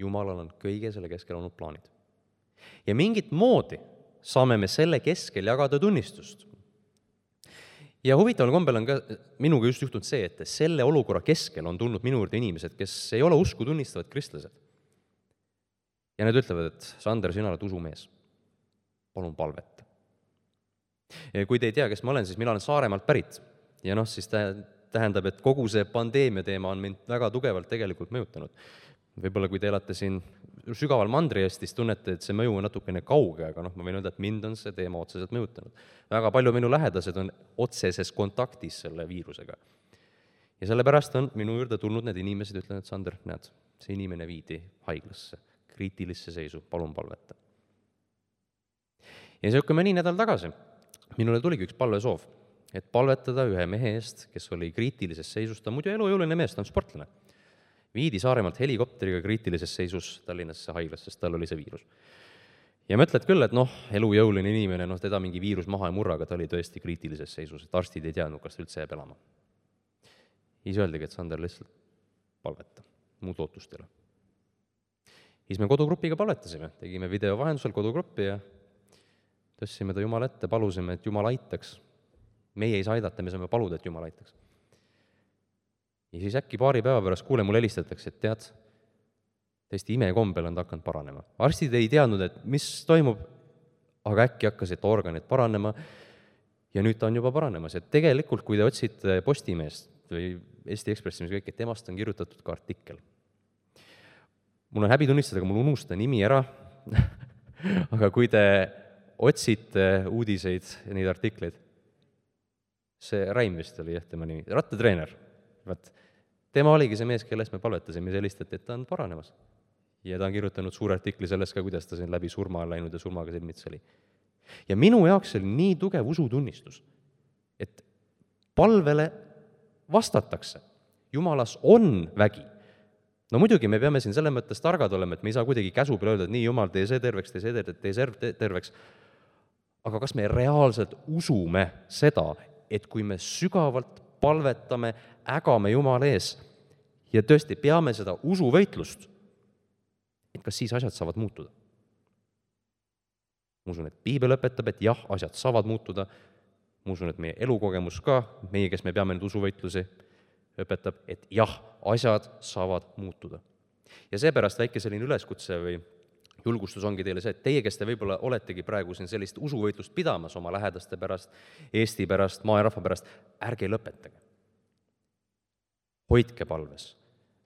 Speaker 1: Jumalal on kõige selle keskel olnud plaanid. Ja mingit moodi saame me selle keskel jagada tunnistust. Ja huvitaval kombel on ka minuga just juhtunud see, et selle olukorra keskel on tulnud minu juurde inimesed, kes ei ole usku tunnistavad kristlased. Ja need ütlevad, et Sander, sina oled usumees. Palun palveta. Ja kui te ei tea, kes ma olen, siis mina olen Saaremaalt pärit. Ja noh, siis tähendab, et kogu see pandeemia teema on mind väga tugevalt tegelikult mõjutanud. Võib-olla kui te elate siin sügaval Mandri-Eestis, tunnete, et see mõju on natukene kauge, aga noh, ma võin öelda, et mind on see teema otseselt mõjutanud. Väga palju minu lähedased on otseses kontaktis selle viirusega. Ja sellepärast on minu juurde tulnud need inimesed, ütlen, et Sander, näed, see inimene viidi haiglasse, kriitilisse seisu, palun palveta. Ja see mõni nädal tagasi minule tuligi üks palvesoov, et palvetada ühe mehe eest, kes oli kriitilises seisus, ta on muidu elujõuline mees, ta on sportlane. Viidi Saaremaalt helikopteriga kriitilises seisus Tallinnasse haiglasse, sest tal oli see viirus. Ja mõtled küll, et noh, elujõuline inimene, noh, teda mingi viirus maha ei murra, aga ta oli tõesti kriitilises seisus, et arstid ei teadnud, kas ta üldse jääb elama. Siis öeldigi, et Sander lihtsalt palveta, muud lootust ei ole. Siis me kodugrupiga palvetasime, tegime video vahendusel kodugruppi ja tõstsime ta Jumal ette, palusime, et Jumal aitaks. Meie ei saa aidata, me saame paluda, et Jumal aitaks. Ja siis äkki paari päeva pärast kuule, mul helistatakse, et tead, täiesti imekombel on ta hakanud paranema. Arstid ei teadnud, et mis toimub, aga äkki hakkasid organid paranema ja nüüd ta on juba paranemas. Et tegelikult, kui te otsite Postimeest või Eesti Ekspressi, mis kõik, et temast on kirjutatud ka artikkel. Mul on häbi tunnistada, aga mul unusta nimi ära, aga kui te otsite uudiseid ja neid artikleid, see Raim vist oli jah tema nimi, rattatreener, vaat tema oligi see mees, kellest me palvetasime sellistelt, et ta on paranemas. Ja ta on kirjutanud suure artikli sellest ka, kuidas ta siin läbi surma läinud ja surmaga silmitsi oli. Ja minu jaoks oli nii tugev usutunnistus, et palvele vastatakse. Jumalas on vägi. No muidugi me peame siin selle mõttes targad olema, et me ei saa kuidagi käsu peale öelda, et nii Jumal, tee see terveks, tee see terveks, tee see terveks. Aga kas me reaalselt usume seda, et kui me sügavalt palvetame, ägame Jumala ees ja tõesti peame seda usuvõitlust, et kas siis asjad saavad muutuda? Ma usun, et Piibel õpetab, et jah, asjad saavad muutuda. Ma usun, et meie elukogemus ka, meie, kes me peame nüüd usuvõitlusi, õpetab, et jah, asjad saavad muutuda. Ja seepärast väike selline üleskutse või julgustus ongi teile see, et teie, kes te võib-olla oletegi praegu siin sellist usuvõitlust pidamas oma lähedaste pärast, Eesti pärast, maa ja rahva pärast, ärge lõpetage. Hoidke palves,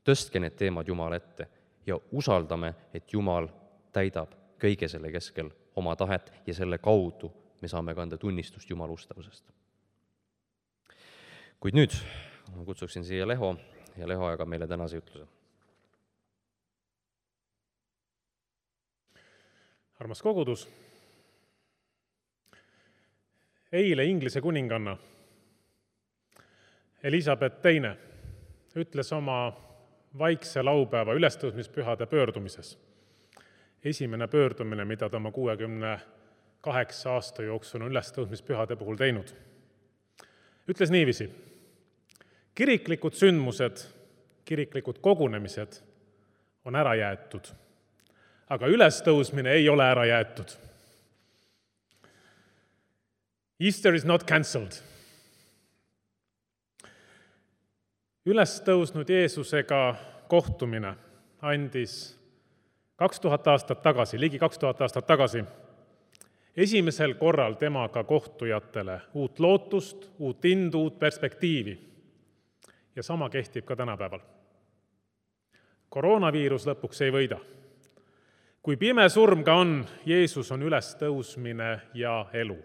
Speaker 1: tõstke need teemad Jumala ette ja usaldame, et Jumal täidab kõige selle keskel oma tahet ja selle kaudu me saame kanda tunnistust Jumala ustavusest. Kuid nüüd ma kutsuksin siia Leho ja Leho jagab meile tänase jutluse.
Speaker 3: Armas kogudus, eile Inglise kuninganna Elisabeth teine ütles oma vaikse laupäeva ülestõusmispühade pöördumises. Esimene pöördumine, mida ta oma kuuekümne kaheksa aasta jooksul on ülestõusmispühade puhul teinud. Ütles niiviisi, kiriklikud sündmused, kiriklikud kogunemised on ära jäetud, aga ülestõusmine ei ole ära jäetud. Easter is not cancelled. Ülestõusnud Jeesusega kohtumine andis kaks tuhat aastat tagasi, ligi kaks tuhat aastat tagasi, esimesel korral temaga kohtujatele uut lootust, uut indu, uut perspektiivi. Ja sama kehtib ka tänapäeval. Koroonaviirus lõpuks ei võida. Kui pime surm ka on, Jeesus on ülestõusmine ja elu.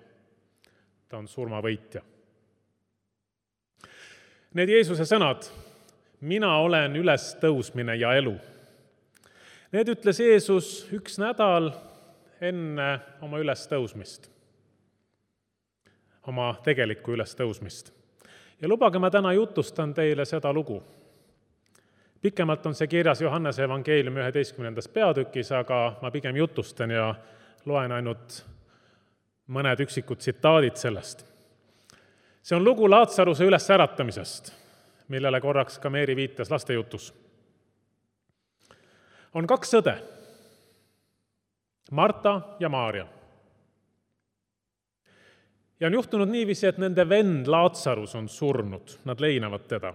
Speaker 3: Ta on surmavõitja. Need Jeesuse sõnad, mina olen ülestõusmine ja elu. Need ütles Jeesus üks nädal enne oma ülestõusmist, oma tegelikku ülestõusmist. Ja lubage, ma täna jutustan teile seda lugu. Pikemalt on see kirjas Johannese evangeeliumi üheteistkümnendas peatükis, aga ma pigem jutustan ja loen ainult mõned üksikud tsitaadid sellest. See on lugu Laatsaruse üles äratamisest, millele korraks ka Meeri viitas lastejutus. On kaks õde, Marta ja Maaria. Ja on juhtunud niiviisi, et nende vend Laatsarus on surnud, nad leinavad teda.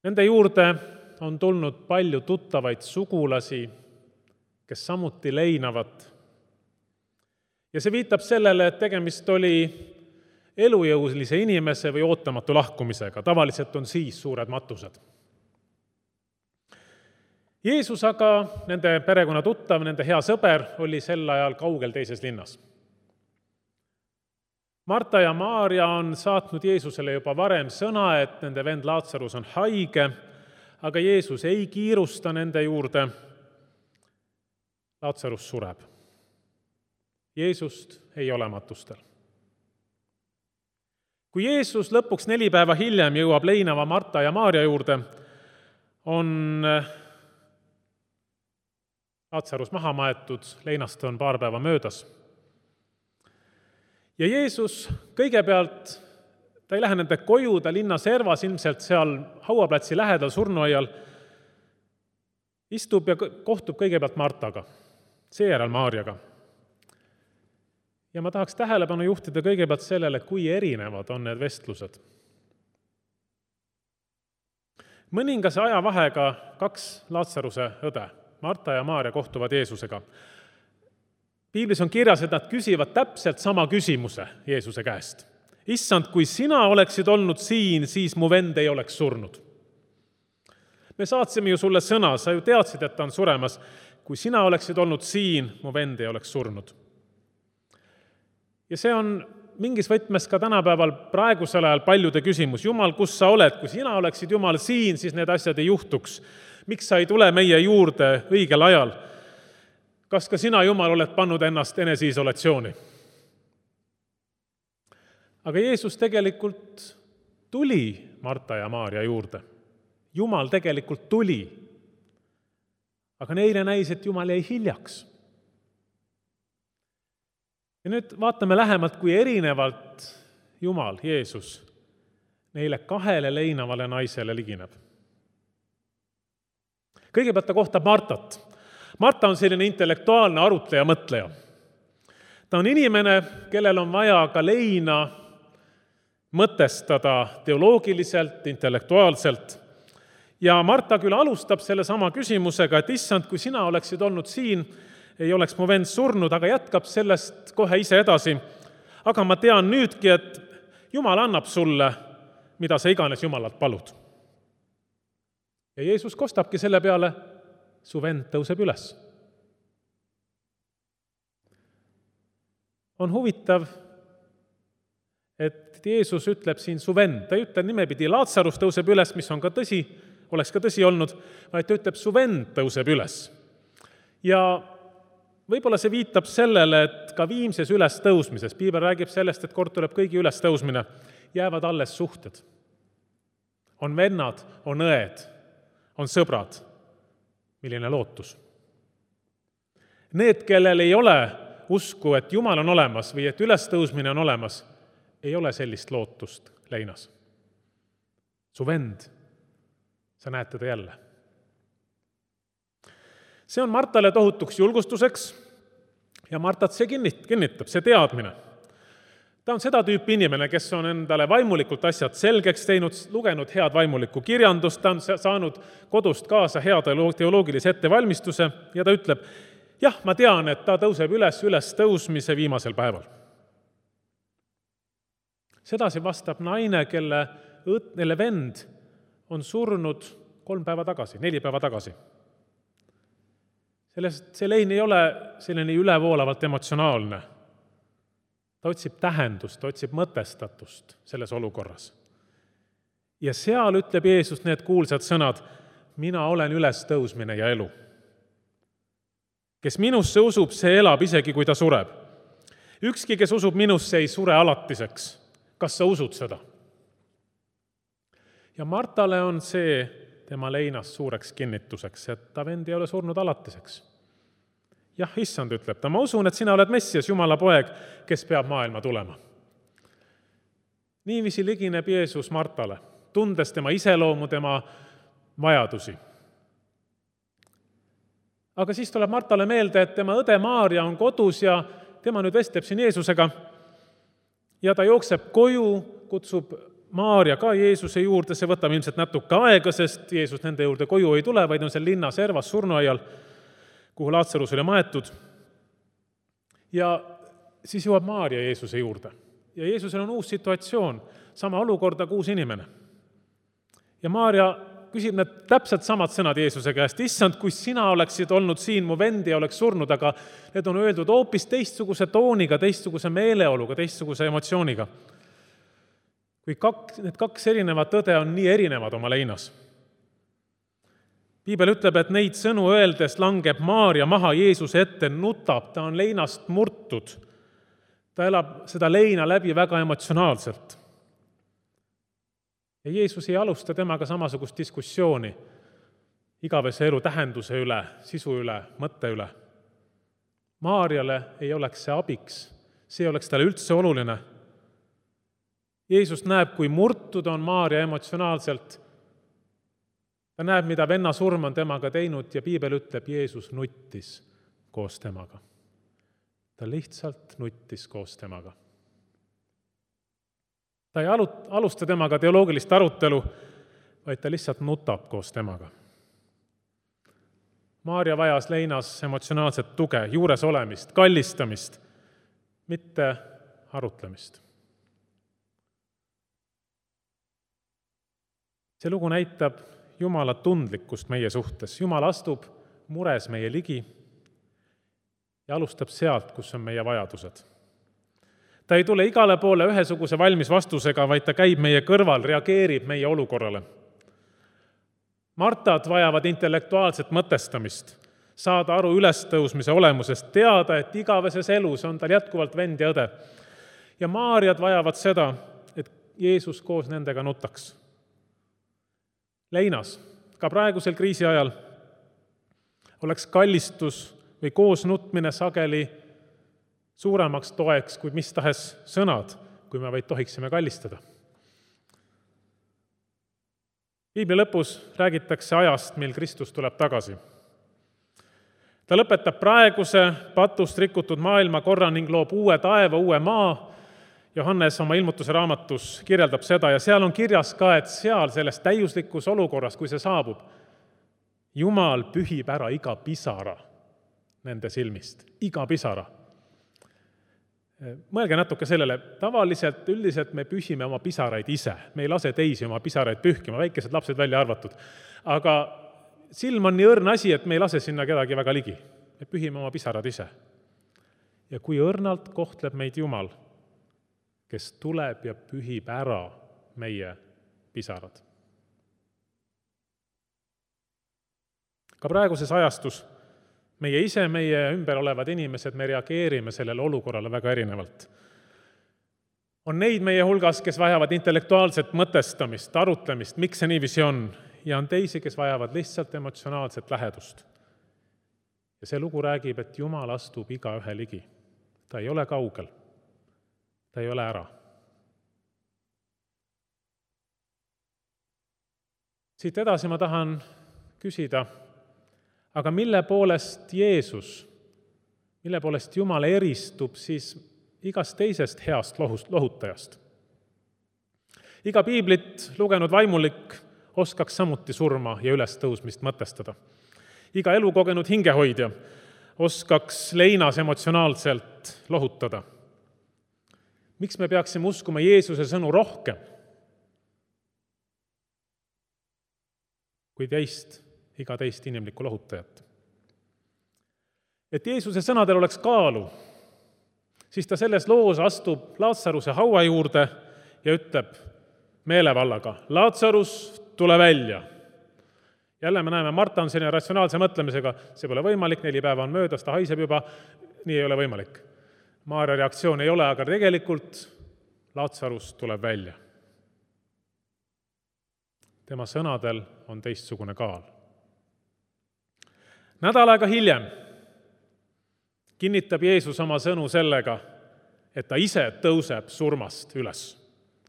Speaker 3: Nende juurde on tulnud palju tuttavaid sugulasi, kes samuti leinavad. Ja see viitab sellele, et tegemist oli elujõulise inimese või ootamatu lahkumisega. Tavaliselt on siis suured matused. Jeesus aga, nende perekonna tuttav, nende hea sõber, oli sel ajal kaugel teises linnas. Marta ja Maarja on saatnud Jeesusele juba varem sõna, et nende vend Laatsarus on haige, aga Jeesus ei kiirusta nende juurde. Laatsarus sureb. Jeesust ei ole matustel. Kui Jeesus lõpuks neli päeva hiljem jõuab leinava Marta ja Maarja juurde, on Laatsarus maha maetud, leinast on paar päeva möödas. Ja Jeesus kõigepealt, ta ei lähe nende koju, ta linna servas, ilmselt seal hauaplatsi lähedal surnuaial, istub ja kohtub kõigepealt Martaga, seejärel Maarjaga. Ja ma tahaks tähelepanu juhtida kõigepealt sellele, kui erinevad on need vestlused. Mõningase ajavahega kaks Laatsaruse õde, Marta ja Maarja, kohtuvad Jeesusega. Piiblis on kirjas, et nad küsivad täpselt sama küsimuse Jeesuse käest. Issand, kui sina oleksid olnud siin, siis mu vend ei oleks surnud. Me saatsime ju sulle sõna, sa ju teadsid, et ta on suremas. Kui sina oleksid olnud siin, mu vend ei oleks surnud. Ja see on mingis võtmes ka tänapäeval praegusel ajal paljude küsimus. Jumal, kus sa oled? Kui sina oleksid Jumal siin, siis need asjad ei juhtuks. Miks sa ei tule meie juurde õigel ajal? Kas ka sina, Jumal, oled pannud ennast eneseisolatsiooni? Aga Jeesus tegelikult tuli Marta ja Maarja juurde. Jumal tegelikult tuli. Aga neile näis, et Jumal jäi hiljaks. Ja nüüd vaatame lähemalt, kui erinevalt Jumal, Jeesus, neile kahele leinavale naisele ligineb. Kõigepealt ta kohtab Martat. Marta on selline intellektuaalne arutleja, mõtleja. Ta on inimene, kellel on vaja ka leina mõtestada teoloogiliselt, intellektuaalselt. Ja Marta küll alustab selle sama küsimusega, et issand, kui sina oleksid olnud siin, ei oleks mu vend surnud, aga jätkab sellest kohe ise edasi. Aga ma tean nüüdki, et Jumal annab sulle, mida sa iganes Jumalalt palud. Ja Jeesus kostabki selle peale, su vend tõuseb üles. On huvitav, et Jeesus ütleb siin su vend. Ta ei ütle nimepidi Laatsarus tõuseb üles, mis on ka tõsi, oleks ka tõsi olnud, vaid ta ütleb su vend tõuseb üles. Ja võib-olla see viitab sellele, et ka viimses ülestõusmises, Piibel räägib sellest, et kord tuleb kõigi ülestõusmine, jäävad alles suhted. On vennad, on õed, on sõbrad. Milline lootus. Need, kellel ei ole usku, et Jumal on olemas või et ülestõusmine on olemas, ei ole sellist lootust leinas. Su vend, sa näed teda jälle. See on Martale tohutuks julgustuseks ja Martat see kinnitab, see teadmine. Ta on seda tüüpi inimene, kes on endale vaimulikult asjad selgeks teinud, lugenud head vaimulikku kirjandust, ta on saanud kodust kaasa hea teoloogilise ettevalmistuse ja ta ütleb, jah, ma tean, et ta tõuseb üles üles tõusmise viimasel päeval. Sedasi vastab naine, kelle, kelle vend on surnud kolm päeva tagasi, neli päeva tagasi. Sellest, see lein ei ole selline ülevoolavalt emotsionaalne. Ta otsib tähendust, ta otsib mõtestatust selles olukorras. Ja seal ütleb Jeesus need kuulsad sõnad, mina olen ülestõusmine ja elu. Kes minusse usub, see elab isegi, kui ta sureb. Ükski, kes usub minusse, ei sure alatiseks. Kas sa usud seda? Ja Martale on see tema leinas suureks kinnituseks, et ta vend ei ole surnud alatiseks. Jah, issand, ütleb ta, ma usun, et sina oled Messias, Jumala poeg, kes peab maailma tulema. Niiviisi ligineb Jeesus Martale, tundes tema iseloomu, tema vajadusi. Aga siis tuleb Martale meelde, et tema õde Maarja on kodus ja tema nüüd vestleb siin Jeesusega ja ta jookseb koju, kutsub Maarja ka Jeesuse juurde, see võtab ilmselt natuke aega, sest Jeesus nende juurde koju ei tule, vaid on seal linna servas surnuaial, kuhu Laatsarus oli maetud. Ja siis jõuab Maarja Jeesuse juurde. Ja Jeesusel on uus situatsioon, sama olukorda kui uus inimene. Ja Maarja küsib need täpselt samad sõnad Jeesuse käest. Issand, kui sina oleksid olnud siin, mu vend ei oleks surnud, aga need on öeldud hoopis teistsuguse tooniga, teistsuguse meeleoluga, teistsuguse emotsiooniga. Kui kaks, need kaks erinevat tõde on nii erinevad oma leinas. Piibel ütleb, et neid sõnu öeldes langeb Maaria maha Jeesuse ette, nutab, ta on leinast murtud. Ta elab seda leina läbi väga emotsionaalselt. Ja Jeesus ei alusta temaga samasugust diskussiooni igavese elu tähenduse üle, sisu üle, mõtte üle. Maarjale ei oleks see abiks, see oleks talle üldse oluline. Jeesus näeb, kui murtud on Maaria emotsionaalselt. Ta näeb, mida venna surm on temaga teinud ja Piibel ütleb, Jeesus nuttis koos temaga. Ta lihtsalt nuttis koos temaga. Ta ei alusta temaga teoloogilist arutelu, vaid ta lihtsalt nutab koos temaga. Maaria vajas leinas emotsionaalset tuge, juures olemist, kallistamist, mitte arutlemist. See lugu näitab Jumala tundlikkust meie suhtes. Jumal astub mures meie ligi ja alustab sealt, kus on meie vajadused. Ta ei tule igale poole ühesuguse valmis vastusega, vaid ta käib meie kõrval, reageerib meie olukorrale. Martad vajavad intellektuaalset mõtestamist, saada aru ülestõusmise olemusest, teada, et igaveses elus on tal jätkuvalt vend ja õde. Ja Maarjad vajavad seda, et Jeesus koos nendega nutaks. Leinas, ka praegusel kriisi ajal, oleks kallistus või koos nutmine sageli suuremaks toeks kui mis tahes sõnad, kui me vaid tohiksime kallistada. Piibli lõpus räägitakse ajast, mil Kristus tuleb tagasi. Ta lõpetab praeguse patust rikutud maailma korra ning loob uue taeva, uue maa. Johannes oma ilmutuse raamatus kirjeldab seda ja seal on kirjas ka, et seal selles täiuslikus olukorras, kui see saabub, Jumal pühib ära iga pisara nende silmist, iga pisara. Mõelge natuke sellele, tavaliselt, üldiselt me pühime oma pisaraid ise, me ei lase teisi oma pisaraid pühkima, väikesed lapsed välja arvatud. Aga silm on nii õrn asi, et me ei lase sinna kedagi väga ligi. Me pühime oma pisarad ise. Ja kui õrnalt kohtleb meid Jumal, kes tuleb ja pühib ära meie pisarad. Ka praeguses ajastus meie ise, meie ümber olevad inimesed, me reageerime sellele olukorrale väga erinevalt. On neid meie hulgas, kes vajavad intellektuaalset mõtestamist, arutlemist, miks see niiviisi on, ja on teisi, kes vajavad lihtsalt emotsionaalset lähedust. Ja see lugu räägib, et Jumal astub iga ühe ligi. Ta ei ole kaugel. Ta ei ole ära. Siit edasi ma tahan küsida, aga mille poolest Jeesus, mille poolest Jumal eristub siis igast teisest heast lohutajast? Iga piiblit lugenud vaimulik oskaks samuti surma ja ülestõusmist mõtestada. Iga elukogenud hingehoidja oskaks leinas emotsionaalselt lohutada. Miks me peaksime uskuma Jeesuse sõnu rohkem kui teist, iga teist inimlikku lohutajat? Et Jeesuse sõnadel oleks kaalu, siis ta selles loos astub Laatsaruse haua juurde ja ütleb meelevallaga, Laatsarus, tule välja. Jälle me näeme, Marta on selline ratsionaalse mõtlemisega, see pole võimalik, neli päeva on möödas, ta haiseb juba, nii ei ole võimalik. Maaria reaktsioon ei ole, aga tegelikult Laatsarus tuleb välja. Tema sõnadel on teistsugune kaal. Nädal aega hiljem kinnitab Jeesus oma sõnu sellega, et ta ise tõuseb surmast üles.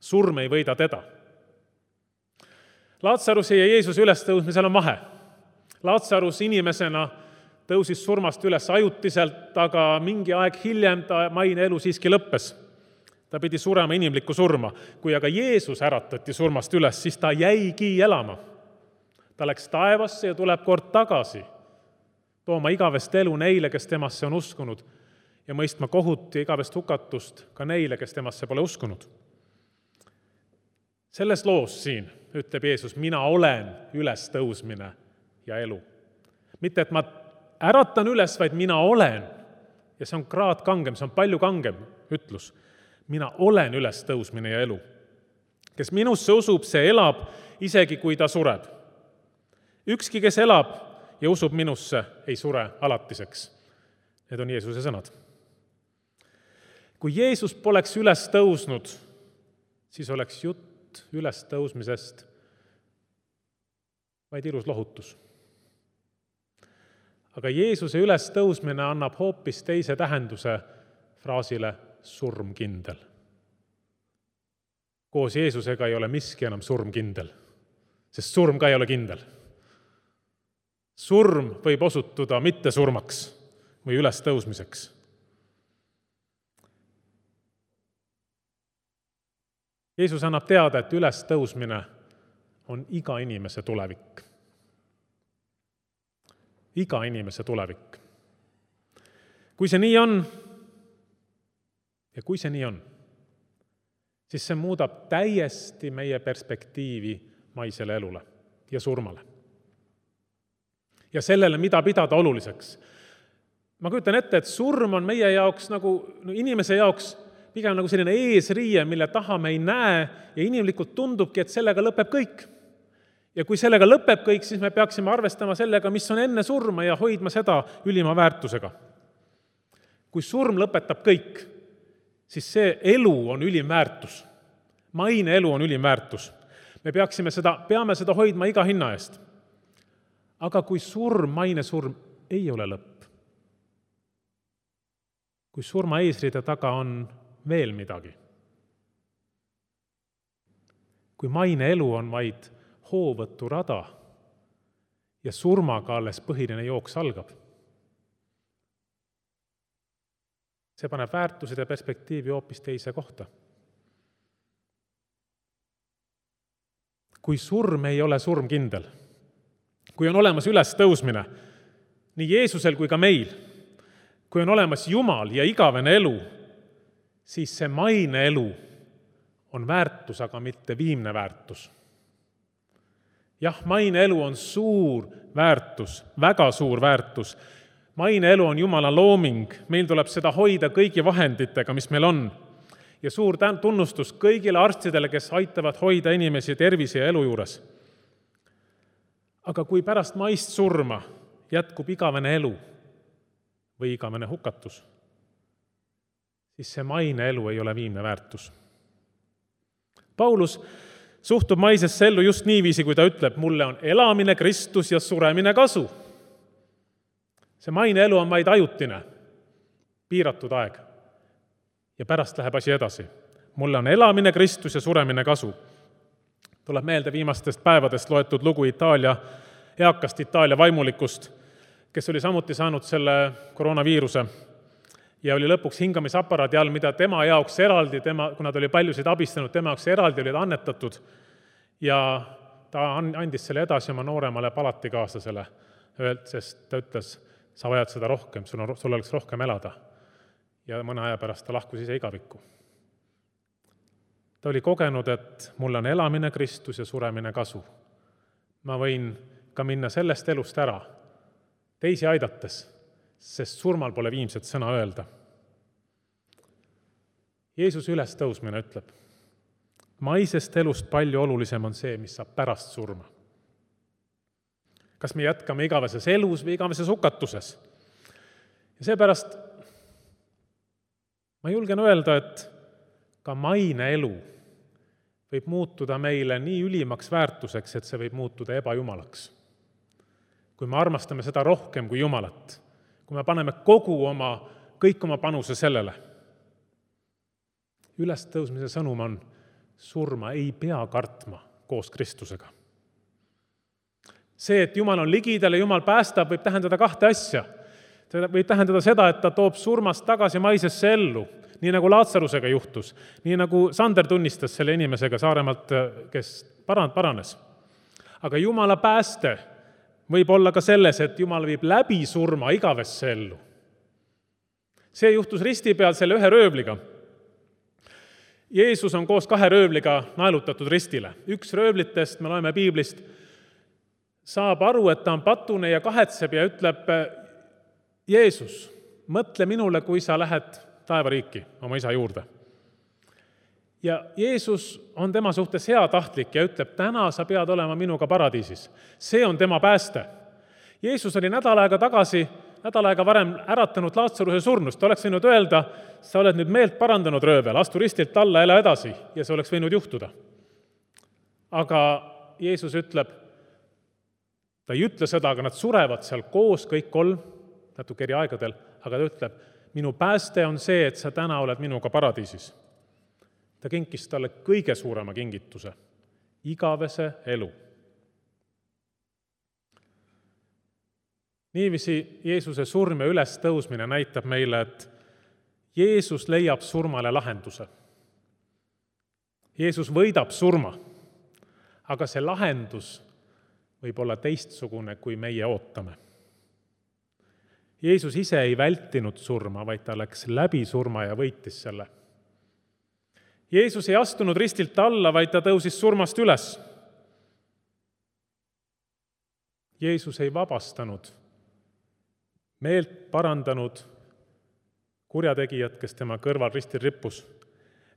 Speaker 3: Surm ei võida teda. Laatsaruse ja Jeesuse ülestõusmisel on vahe. Laatsarus inimesena tõusis surmast üles ajutiselt, aga mingi aeg hiljem ta maine elu siiski lõppes. Ta pidi surema inimlikku surma. Kui aga Jeesus äratati surmast üles, siis ta jäigi elama. Ta läks taevasse ja tuleb kord tagasi, tooma igavest elu neile, kes temasse on uskunud, ja mõistma kohut ja igavest hukatust ka neile, kes temasse pole uskunud. Selles loos siin ütleb Jeesus, mina olen ülestõusmine ja elu. Mitte, et ma äratan üles, vaid mina olen. Ja see on kraad kangem, see on palju kangem ütlus. Mina olen ülestõusmine ja elu. Kes minusse usub, see elab, isegi kui ta sureb. Ükski, kes elab ja usub minusse, ei sure alatiseks. Need on Jeesuse sõnad. Kui Jeesus poleks üles tõusnud, siis oleks jutt üles tõusmisest vaid ilus lohutus. Aga Jeesuse üles tõusmine annab hoopis teise tähenduse fraasile surmkindel. Koos Jeesusega ei ole miski enam surmkindel, sest surm ka ei ole kindel. Surm võib osutuda mitte surmaks või üles tõusmiseks. Jeesus annab teada, et üles tõusmine on iga inimese tulevik. Iga inimese tulevik. Kui see nii on, ja kui see nii on, siis see muudab täiesti meie perspektiivi maisele elule ja surmale. Ja sellele, mida pidada oluliseks. Ma kujutan ette, et surm on meie jaoks nagu no inimese jaoks pigem nagu selline eesriie, mille taha me ei näe ja inimlikult tundubki, et sellega lõpeb kõik. Ja kui sellega lõpeb kõik, siis me peaksime arvestama sellega, mis on enne surma ja hoidma seda ülima väärtusega. Kui surm lõpetab kõik, siis see elu on ülim väärtus. Maine elu on ülim väärtus. Me peaksime seda, peame seda hoidma iga hinna eest. Aga kui surm, maine surm ei ole lõpp, kui surma eesriide taga on veel midagi, kui maine elu on vaid hoovõtu rada ja surmaga alles põhiline jooks algab, see paneb väärtused ja perspektiivi hoopis teise kohta. Kui surm ei ole surmkindel, kui on olemas üles tõusmine, nii Jeesusel kui ka meil, kui on olemas Jumal ja igavene elu, siis see maine elu on väärtus, aga mitte viimne väärtus. Jah, maine elu on suur väärtus, väga suur väärtus. Maine elu on Jumala looming, meil tuleb seda hoida kõigi vahenditega, mis meil on. Ja suur tunnustus kõigile arstidele, kes aitavad hoida inimesi tervise ja elu juures. Aga kui pärast maist surma jätkub igavene elu või igavene hukatus, siis see maine elu ei ole viimne väärtus. Paulus suhtub maisesse ellu just niiviisi, kui ta ütleb, mulle on elamine Kristus ja suremine kasu. See maine elu on vaid ajutine, piiratud aeg. Ja pärast läheb asi edasi. Mulle on elamine Kristus ja suremine kasu. Tuleb meelde viimastest päevadest loetud lugu Itaalia, eakast Itaalia vaimulikust, kes oli samuti saanud selle koroonaviiruse ja oli lõpuks hingamisaparaadi all, mida tema jaoks eraldi, tema, kuna ta oli paljusid abistanud, tema jaoks eraldi olid annetatud ja ta andis selle edasi oma nooremale palatikaaslasele, sest ta ütles, sa vajad seda rohkem, sul, on, sul oleks rohkem elada. Ja mõne aja pärast ta lahkus ise igavikku. Ta oli kogenud, et mul on elamine Kristus ja suremine kasu. Ma võin ka minna sellest elust ära, teisi aidates, sest surmal pole viimset sõna öelda. Jeesuse ülestõusmine ütleb, maisest elust palju olulisem on see, mis saab pärast surma. Kas me jätkame igaveses elus või igaveses hukatuses? Ja seepärast ma julgen öelda, et ka maine elu võib muutuda meile nii ülimaks väärtuseks, et see võib muutuda ebajumalaks. Kui me armastame seda rohkem kui Jumalat, kui me paneme kogu oma, kõik oma panuse sellele. Ülestõusmise sõnum on, surma ei pea kartma koos Kristusega. See, et Jumal on ligidal ja Jumal päästab, võib tähendada kahte asja. See võib tähendada seda, et ta toob surmast tagasi maisesse ellu, nii nagu Laatsarusega juhtus, nii nagu Sander tunnistas selle inimesega Saaremaalt, kes paranes. Aga Jumala pääste võib olla ka selles, et Jumal viib läbi surma igavesse ellu. See juhtus risti peal selle ühe röövliga. Jeesus on koos kahe röövliga naelutatud ristile. Üks röövlitest, me loeme piiblist, saab aru, et ta on patune ja kahetseb ja ütleb, Jeesus, mõtle minule, kui sa lähed taevariiki oma isa juurde. Ja Jeesus on tema suhtes heatahtlik ja ütleb, täna sa pead olema minuga paradiisis. See on tema pääste. Jeesus oli nädal aega tagasi, nädal aega varem äratanud Laatsaruse surnust. Ta oleks võinud öelda, sa oled nüüd meelt parandanud röövel, astu ristilt alla, ela edasi, ja see oleks võinud juhtuda. Aga Jeesus ütleb, ta ei ütle seda, aga nad surevad seal koos kõik kolm, natuke eri aegadel, aga ta ütleb, minu pääste on see, et sa täna oled minuga paradiisis. Ta kinkis talle kõige suurema kingituse, igavese elu. Niiviisi Jeesuse surm ja üles tõusmine näitab meile, et Jeesus leiab surmale lahenduse. Jeesus võidab surma, aga see lahendus võib olla teistsugune, kui meie ootame. Jeesus ise ei vältinud surma, vaid ta läks läbi surma ja võitis selle. Jeesus ei astunud ristilt alla, vaid ta tõusis surmast üles. Jeesus ei vabastanud meelt parandanud kurjategijat, kes tema kõrval ristil rippus.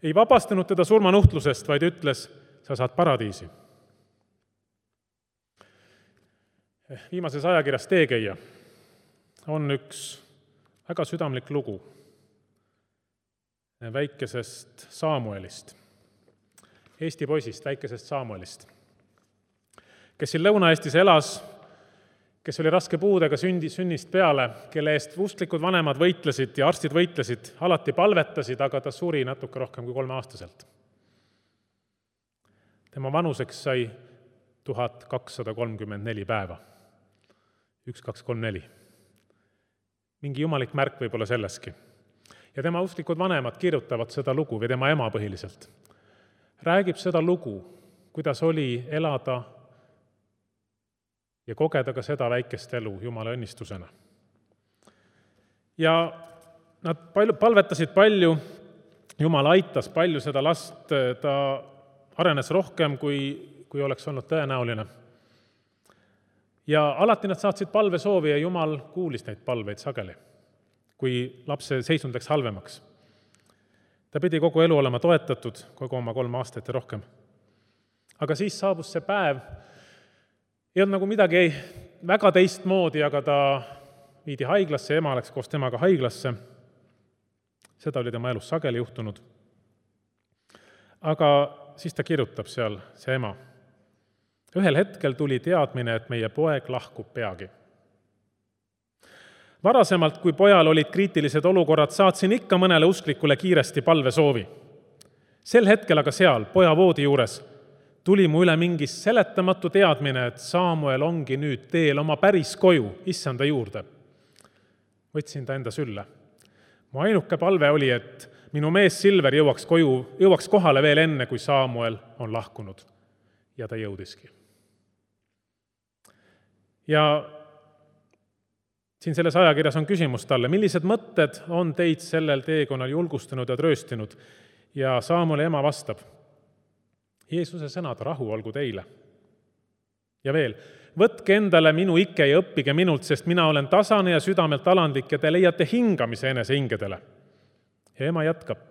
Speaker 3: Ei vabastanud teda surmanuhtlusest, vaid ütles, sa saad paradiisi. Viimases ajakirjas Teekäija on üks väga südamlik lugu väikesest Saamuelist, Eesti poisist, väikesest Saamuelist, kes siin Lõuna-Eestis elas, kes oli raske puudega sündi, sünnist peale, kelle eest usklikud vanemad võitlesid ja arstid võitlesid, alati palvetasid, aga ta suri natuke rohkem kui kolmeaastaselt. Tema vanuseks sai tuhat kakssada kolmkümmend neli päeva. Üks, kaks, kolm, neli. Mingi jumalik märk võib olla selleski. Ja tema usklikud vanemad kirjutavad seda lugu, või tema ema põhiliselt. Räägib seda lugu, kuidas oli elada ja kogeda ka seda väikest elu Jumala õnnistusena. Ja nad palju, palvetasid palju, Jumal aitas palju seda last, ta arenes rohkem, kui, kui oleks olnud tõenäoline. Ja alati nad saatsid palvesoovi ja Jumal kuulis neid palveid sageli, kui lapse seisund läks halvemaks. Ta pidi kogu elu olema toetatud, kogu oma kolm aastat ja rohkem. Aga siis saabus see päev, ei olnud nagu midagi ei, väga teistmoodi, aga ta viidi haiglasse, ema läks koos temaga haiglasse. Seda oli tema elus sageli juhtunud. Aga siis ta kirjutab seal, see ema. Ühel hetkel tuli teadmine, et meie poeg lahkub peagi. Varasemalt, kui pojal olid kriitilised olukorrad, saatsin ikka mõnele usklikule kiiresti palvesoovi. Sel hetkel aga seal, poja voodi juures, tuli mu üle mingi seletamatu teadmine, et Saamuel ongi nüüd teel oma päris koju, issanda juurde. Võtsin ta enda sülle. Mu ainuke palve oli, et minu mees Silver jõuaks, koju, jõuaks kohale veel enne, kui Saamuel on lahkunud. Ja ta jõudiski. Ja siin selles ajakirjas on küsimus talle, millised mõtted on teid sellel teekonnal julgustanud ja trööstinud? Ja Saamueli ema vastab, Jeesuse sõnad, rahu olgu teile. Ja veel, võtke endale minu ikke ja õppige minult, sest mina olen tasane ja südamelt alandlik ja te leiate hingamise enese hingedele. Ja ema jätkab,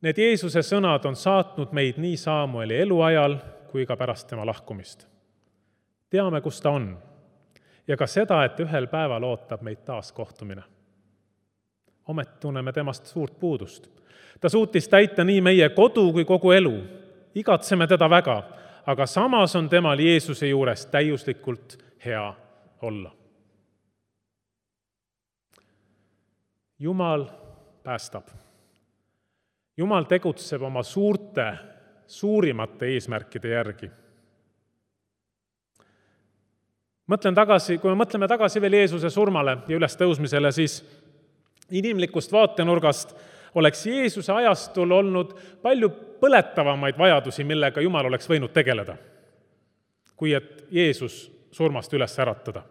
Speaker 3: need Jeesuse sõnad on saatnud meid nii Saamueli eluajal kui ka pärast tema lahkumist. Teame, kus ta on ja ka seda, et ühel päeval ootab meid taas kohtumine. Omet tunneme temast suurt puudust. Ta suutis täita nii meie kodu kui kogu elu. Igatseme teda väga, aga samas on temal Jeesuse juures täiuslikult hea olla. Jumal päästab. Jumal tegutseb oma suurte, suurimate eesmärkide järgi. Mõtlen tagasi, kui me mõtleme tagasi veel Jeesuse surmale ja üles tõusmisele, siis inimlikust vaatenurgast oleks Jeesuse ajastul olnud palju põletavamaid vajadusi, millega Jumal oleks võinud tegeleda, kui et Jeesus surmast üles äratada.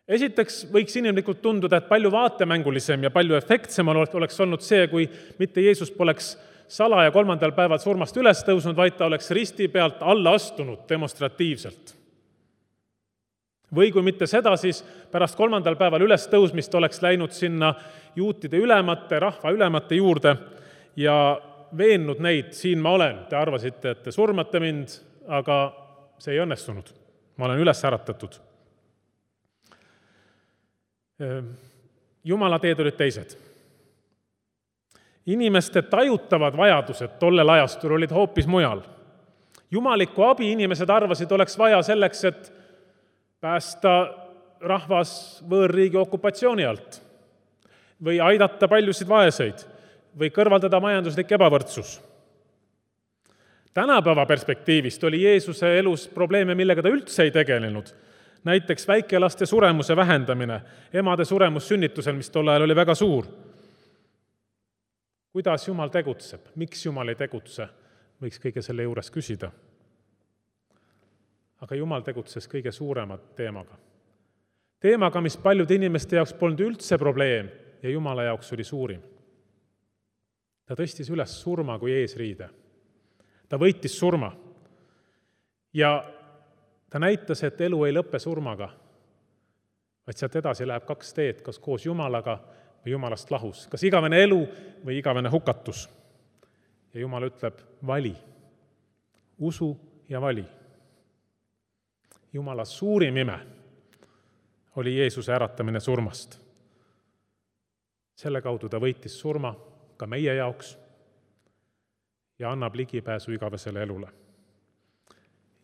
Speaker 3: Esiteks võiks inimlikult tunduda, et palju vaatemängulisem ja palju efektsem oleks olnud see, kui mitte Jeesus poleks salaja kolmandal päeval surmast üles tõusnud, vaid ta oleks risti pealt alla astunud demonstratiivselt. Või kui mitte seda, siis pärast kolmandal päeval üles tõusmist oleks läinud sinna juutide ülemate, rahva ülemate juurde ja veennud neid, siin ma olen, te arvasite, et te surmate mind, aga see ei õnnestunud. Ma olen üles äratatud. Jumala teed olid teised. Inimeste tajutavad vajadused tollel ajastul olid hoopis mujal. Jumalikku abi inimesed arvasid oleks vaja selleks, et päästa rahvas võõrriigi okupatsiooni alt või aidata paljusid vaeseid või kõrvaldada majanduslik ebavõrdsus. Tänapäeva perspektiivist oli Jeesuse elus probleeme, millega ta üldse ei tegelenud. Näiteks väikelaste suremuse vähendamine, emade suremus sünnitusel, mis tol ajal oli väga suur. Kuidas Jumal tegutseb? Miks Jumal ei tegutse? Võiks kõige selle juures küsida. Aga Jumal tegutses kõige suurema teemaga. Teemaga, mis paljude inimeste jaoks polnud üldse probleem ja Jumala jaoks oli suurim. Ta tõstis üles surma kui eesriide. Ta võitis surma. Ja ta näitas, et elu ei lõppe surmaga, vaid sealt edasi läheb kaks teed, kas koos Jumalaga või Jumalast lahus. Kas igavene elu või igavene hukatus. Ja Jumal ütleb, vali. Usu ja vali. Jumala suurim ime oli Jeesuse äratamine surmast. Selle kaudu ta võitis surma ka meie jaoks ja annab ligipääsu igavesele elule.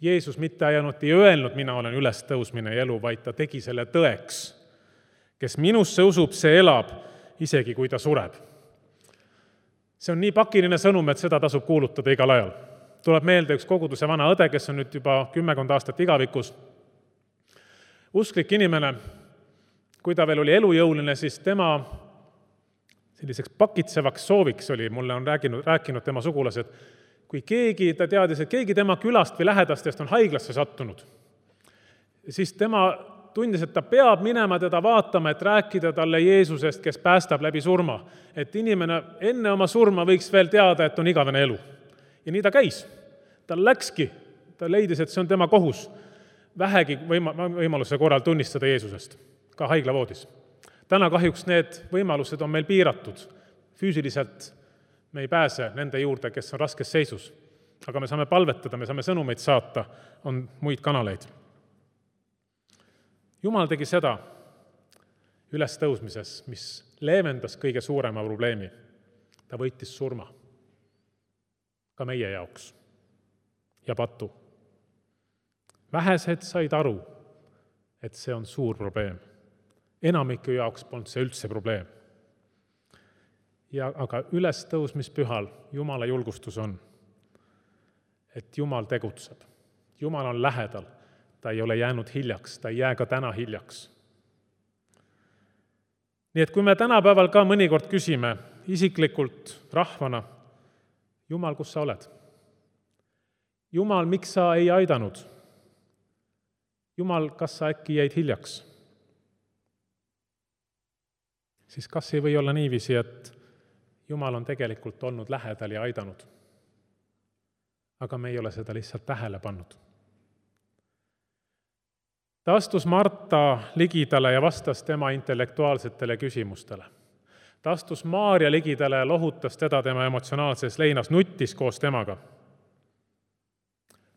Speaker 3: Jeesus mitte ainult ei öelnud, mina olen üles tõusmine ja elu, vaid ta tegi selle tõeks. Kes minusse usub, see elab, isegi kui ta sureb. See on nii pakiline sõnum, et seda tasub kuulutada igal ajal. Tuleb meelde üks koguduse vana õde, kes on nüüd juba kümmekond aastat igavikus. Usklik inimene, kui ta veel oli elujõuline, siis tema selliseks pakitsevaks sooviks oli, mulle on rääkinud, rääkinud tema sugulased, kui keegi, ta teadis, et keegi tema külast või lähedastest on haiglasse sattunud, siis tema tundis, et ta peab minema teda vaatama, et rääkida talle Jeesusest, kes päästab läbi surma. Et inimene enne oma surma võiks veel teada, et on igavene elu. Ja nii ta käis. Ta läkski, ta leidis, et see on tema kohus vähegi võima, võimaluse korral tunnistada Jeesusest, ka haiglavoodis. Täna kahjuks need võimalused on meil piiratud. Füüsiliselt me ei pääse nende juurde, kes on raskes seisus. Aga me saame palvetada, me saame sõnumeid saata, on muid kanaleid. Jumal tegi seda ülestõusmises, mis leevendas kõige suurema probleemi. Ta võitis surma. Ka meie jaoks. Ja patu. Vähesed said aru, et see on suur probleem. Enamiku jaoks polnud see üldse probleem. Ja aga ülestõusmispühal Jumala julgustus on, et Jumal tegutseb. Jumal on lähedal, ta ei ole jäänud hiljaks, ta ei jää ka täna hiljaks. Nii et kui me tänapäeval ka mõnikord küsime isiklikult rahvana, Jumal, kus sa oled? Jumal, miks sa ei aidanud? Jumal, kas sa äkki jäid hiljaks? Siis kas ei või olla niiviisi, et Jumal on tegelikult olnud lähedal ja aidanud? Aga me ei ole seda lihtsalt tähele pannud. Ta astus Marta ligidale ja vastas tema intellektuaalsetele küsimustele. Ta astus Maaria ligidale ja lohutas teda tema emotsionaalses leinas, nuttis koos temaga.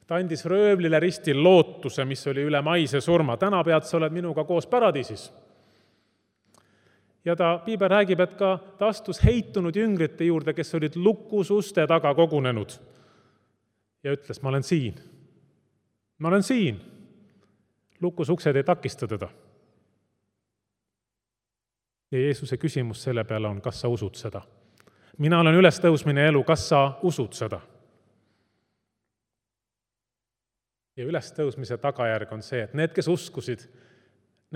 Speaker 3: Ta andis röövlile ristil lootuse, mis oli üle maise surma. Täna pead sa oled minuga koos paradiisis. Ja ta, Piiber räägib, et ka ta astus heitunud jüngrite juurde, kes olid lukus uste taga kogunenud. Ja ütles, ma olen siin. Ma olen siin. Lukus uksed ei takista teda. Ja Jeesuse küsimus selle peale on, kas sa usud seda? Mina olen ülestõusmine elu, kas sa usud seda? Ja ülestõusmise tagajärg on see, et need, kes uskusid,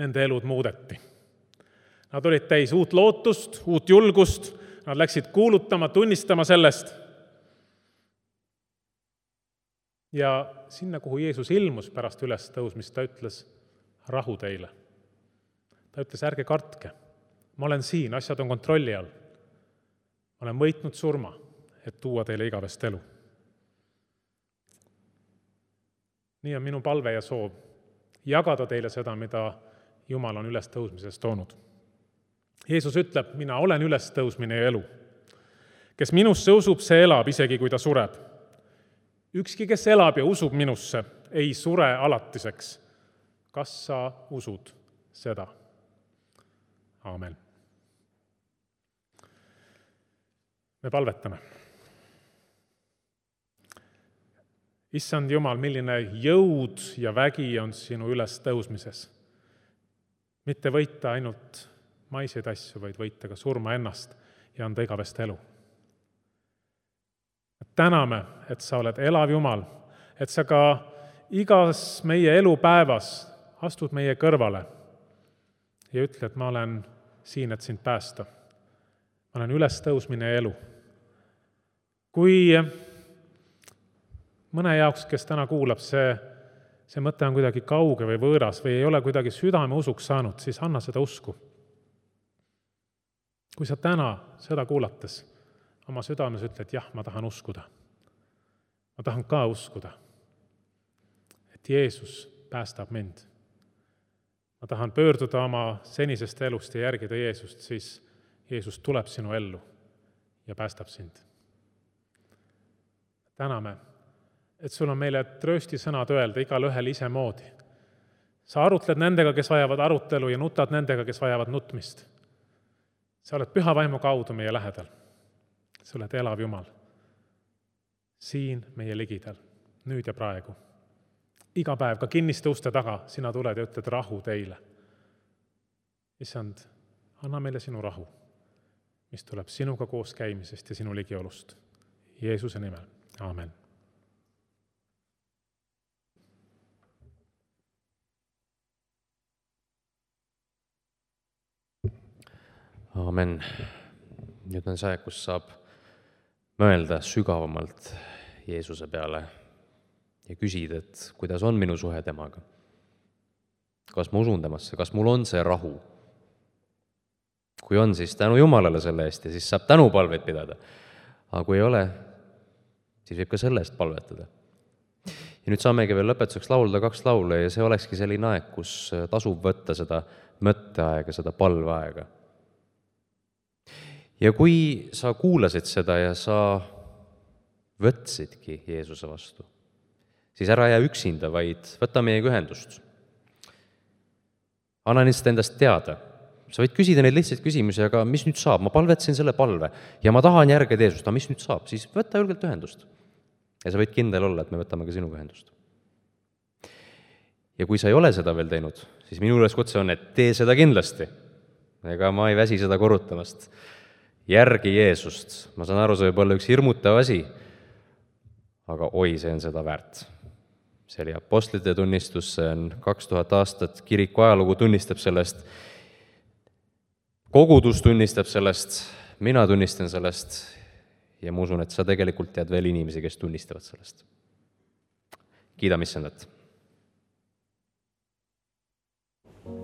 Speaker 3: nende elud muudeti. Nad olid täis uut lootust, uut julgust, nad läksid kuulutama, tunnistama sellest. Ja sinna, kuhu Jeesus ilmus pärast ülestõusmist, ta ütles, rahu teile. Ta ütles, ärge kartke, ma olen siin, asjad on kontrolli all. Ma olen võitnud surma, et tuua teile igavest elu. nii on minu palve ja soov jagada teile seda, mida Jumal on ülestõusmisest toonud. Jeesus ütleb, mina olen ülestõusmine ja elu. Kes minusse usub, see elab, isegi kui ta sureb. Ükski, kes elab ja usub minusse, ei sure alatiseks. Kas sa usud seda? Aamen. Me palvetame. Issand Jumal, milline jõud ja vägi on sinu ülestõusmises. Mitte võita ainult maiseid asju, vaid võita ka surma ennast ja anda igavest elu. Täname, et sa oled elav Jumal, et sa ka igas meie elupäevas astud meie kõrvale ja ütle, et ma olen siin, et sind päästa. Ma olen ülestõusmine ja elu. Kui mõne jaoks, kes täna kuulab, see, see mõte on kuidagi kauge või võõras või ei ole kuidagi südame usuks saanud, siis anna seda usku. Kui sa täna seda kuulates oma südames ütled, jah, ma tahan uskuda. Ma tahan ka uskuda, et Jeesus päästab mind. Ma tahan pöörduda oma senisest elust ja järgida Jeesust, siis Jeesus tuleb sinu ellu ja päästab sind. Täname, et sul on meile tröösti sõnad öelda igal ühel ise moodi. Sa arutled nendega, kes vajavad arutelu ja nutad nendega, kes vajavad nutmist. Sa oled püha vaimu kaudu meie lähedal. Sa oled elav Jumal. Siin meie ligidal, nüüd ja praegu. Iga päev, ka kinniste uste taga, sina tuled ja ütled rahu teile. Issand, anna meile sinu rahu, mis tuleb sinuga koos käimisest ja sinu ligiolust. Jeesuse nimel. Aamen.
Speaker 1: Aamen. Nüüd on see, kus saab mõelda sügavamalt Jeesuse peale ja küsida, et kuidas on minu suhe temaga. Kas ma usun temasse, kas mul on see rahu? Kui on, siis tänu Jumalale selle eest ja siis saab tänupalveid pidada. Aga kui ei ole, siis võib ka selle eest palvetada. Ja nüüd saamegi veel lõpetuseks laulda kaks laule ja see olekski selline aeg, kus tasub võtta seda mõtteaega, seda palveaega. Ja kui sa kuulasid seda ja sa võtsidki Jeesuse vastu, siis ära jää üksinda, vaid võta meiega ühendust. Anna lihtsalt endast teada. Sa võid küsida neid lihtsalt küsimusi, aga mis nüüd saab? Ma palvetsin selle palve ja ma tahan järgida Jeesust, aga mis nüüd saab? Siis võta julgelt ühendust. Ja sa võid kindel olla, et me võtame ka sinuga ühendust. Ja kui sa ei ole seda veel teinud, siis minu üleskutse on, et tee seda kindlasti. Ega ma ei väsi seda korrutamast. Järgi Jeesust. Ma saan aru, see võib olla üks hirmutav asi, aga oi, see on seda väärt. See oli apostlite tunnistus, see on kaks tuhat aastat, kiriku ajalugu tunnistab sellest, kogudus tunnistab sellest, mina tunnistan sellest ja ma usun, et sa tegelikult tead veel inimesi, kes tunnistavad sellest. Kiidame Issandat.
Speaker 4: Ja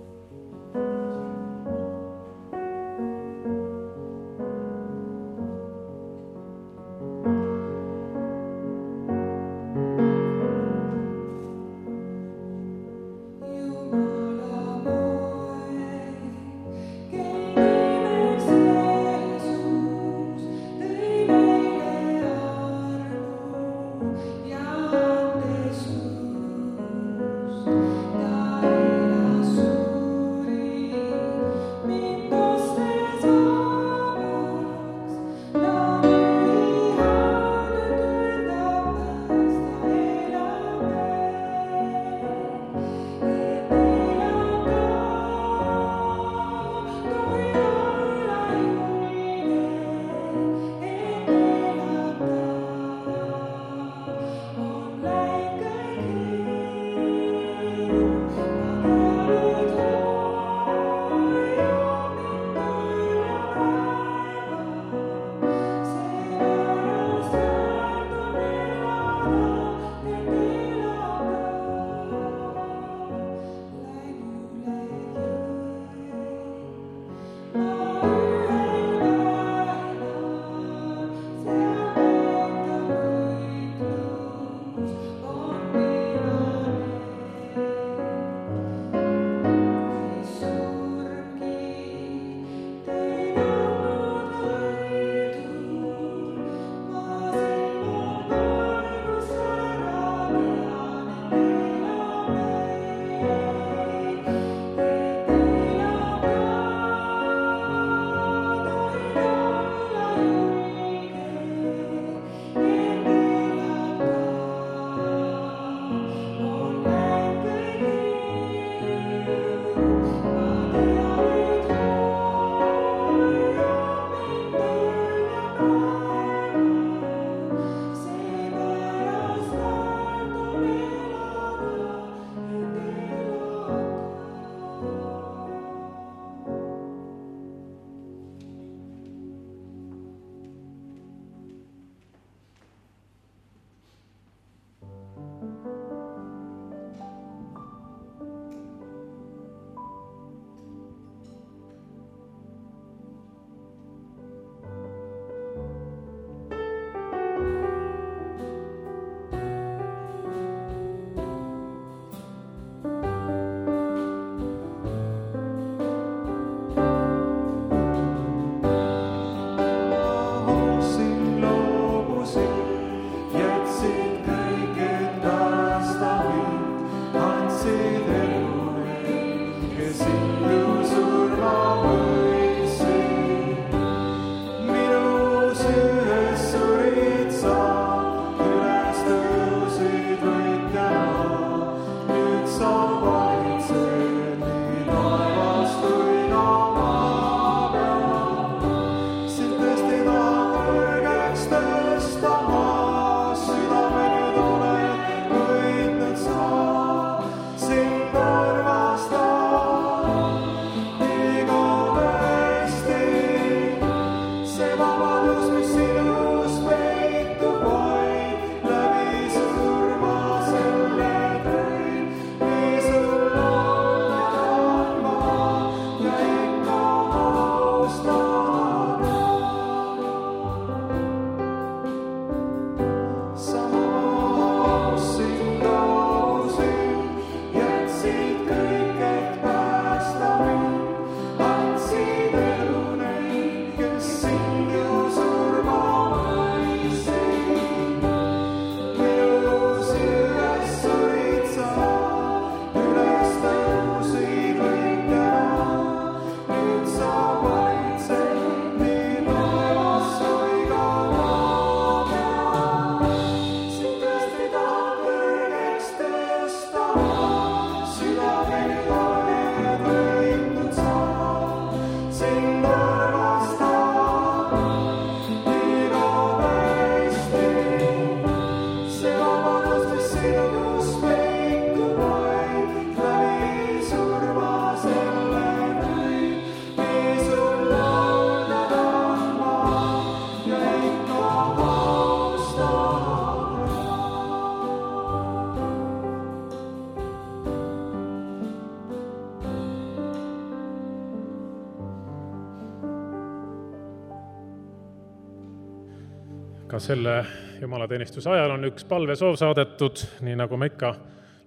Speaker 3: ka selle jumalateenistuse ajal on üks palvesoov saadetud, nii nagu me ikka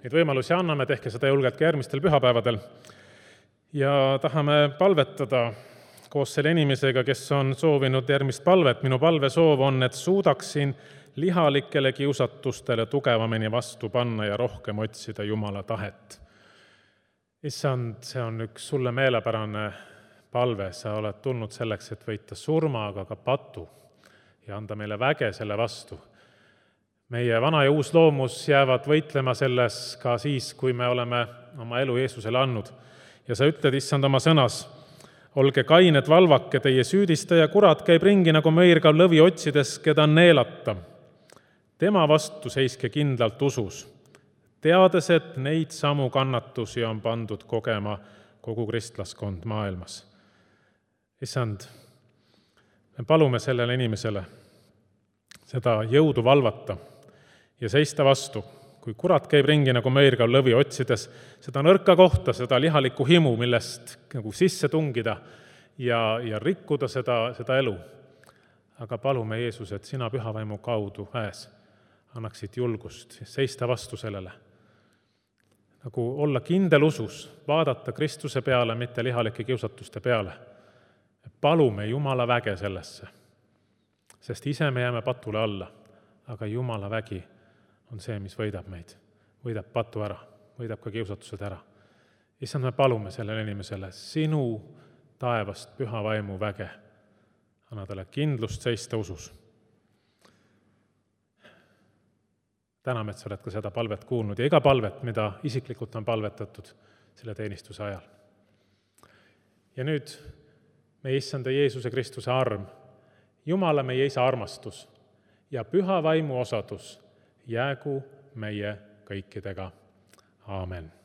Speaker 3: neid võimalusi anname, tehke seda julgelt ka järgmistel pühapäevadel. Ja tahame palvetada koos selle inimesega, kes on soovinud järgmist palvet. Minu palvesoov on, et suudaksin lihalikele kiusatustele tugevamini vastu panna ja rohkem otsida Jumala tahet. Issand, see on üks sulle meelepärane palve, sa oled tulnud selleks, et võita surma, aga ka patu ja anda meile väge selle vastu. Meie vana ja uus loomus jäävad võitlema selles ka siis, kui me oleme oma elu Jeesusele andnud. Ja sa ütled, issand, oma sõnas, olge kained, valvake, teie süüdistaja kurat käib ringi nagu mõirgav lõvi otsides, keda neelata. Tema vastu seiske kindlalt usus, teades, et neid samu kannatusi on pandud kogema kogu kristlaskond maailmas. Issand, me palume sellele inimesele seda jõudu valvata ja seista vastu, kui kurat käib ringi nagu mõirgav lõvi otsides seda nõrka kohta, seda lihalikku himu, millest nagu sisse tungida ja, ja rikkuda seda, seda elu. Aga palume, Jeesus, et sina pühavaimu kaudu väes annaksid julgust seista vastu sellele. Nagu olla kindel usus, vaadata Kristuse peale, mitte lihalike kiusatuste peale. Palume Jumala väge sellesse, sest ise me jääme patule alla, aga Jumala vägi on see, mis võidab meid, võidab patu ära, võidab ka kiusatused ära. Issand, me palume sellele inimesele sinu taevast püha vaimu väge. Anna talle kindlust seista usus. Täname, et sa oled ka seda palvet kuulnud ja iga palvet, mida isiklikult on palvetatud selle teenistuse ajal. Ja nüüd meie issanda Jeesuse Kristuse arm, Jumala meie isa armastus ja püha vaimu osadus jäägu meie kõikidega. Aamen.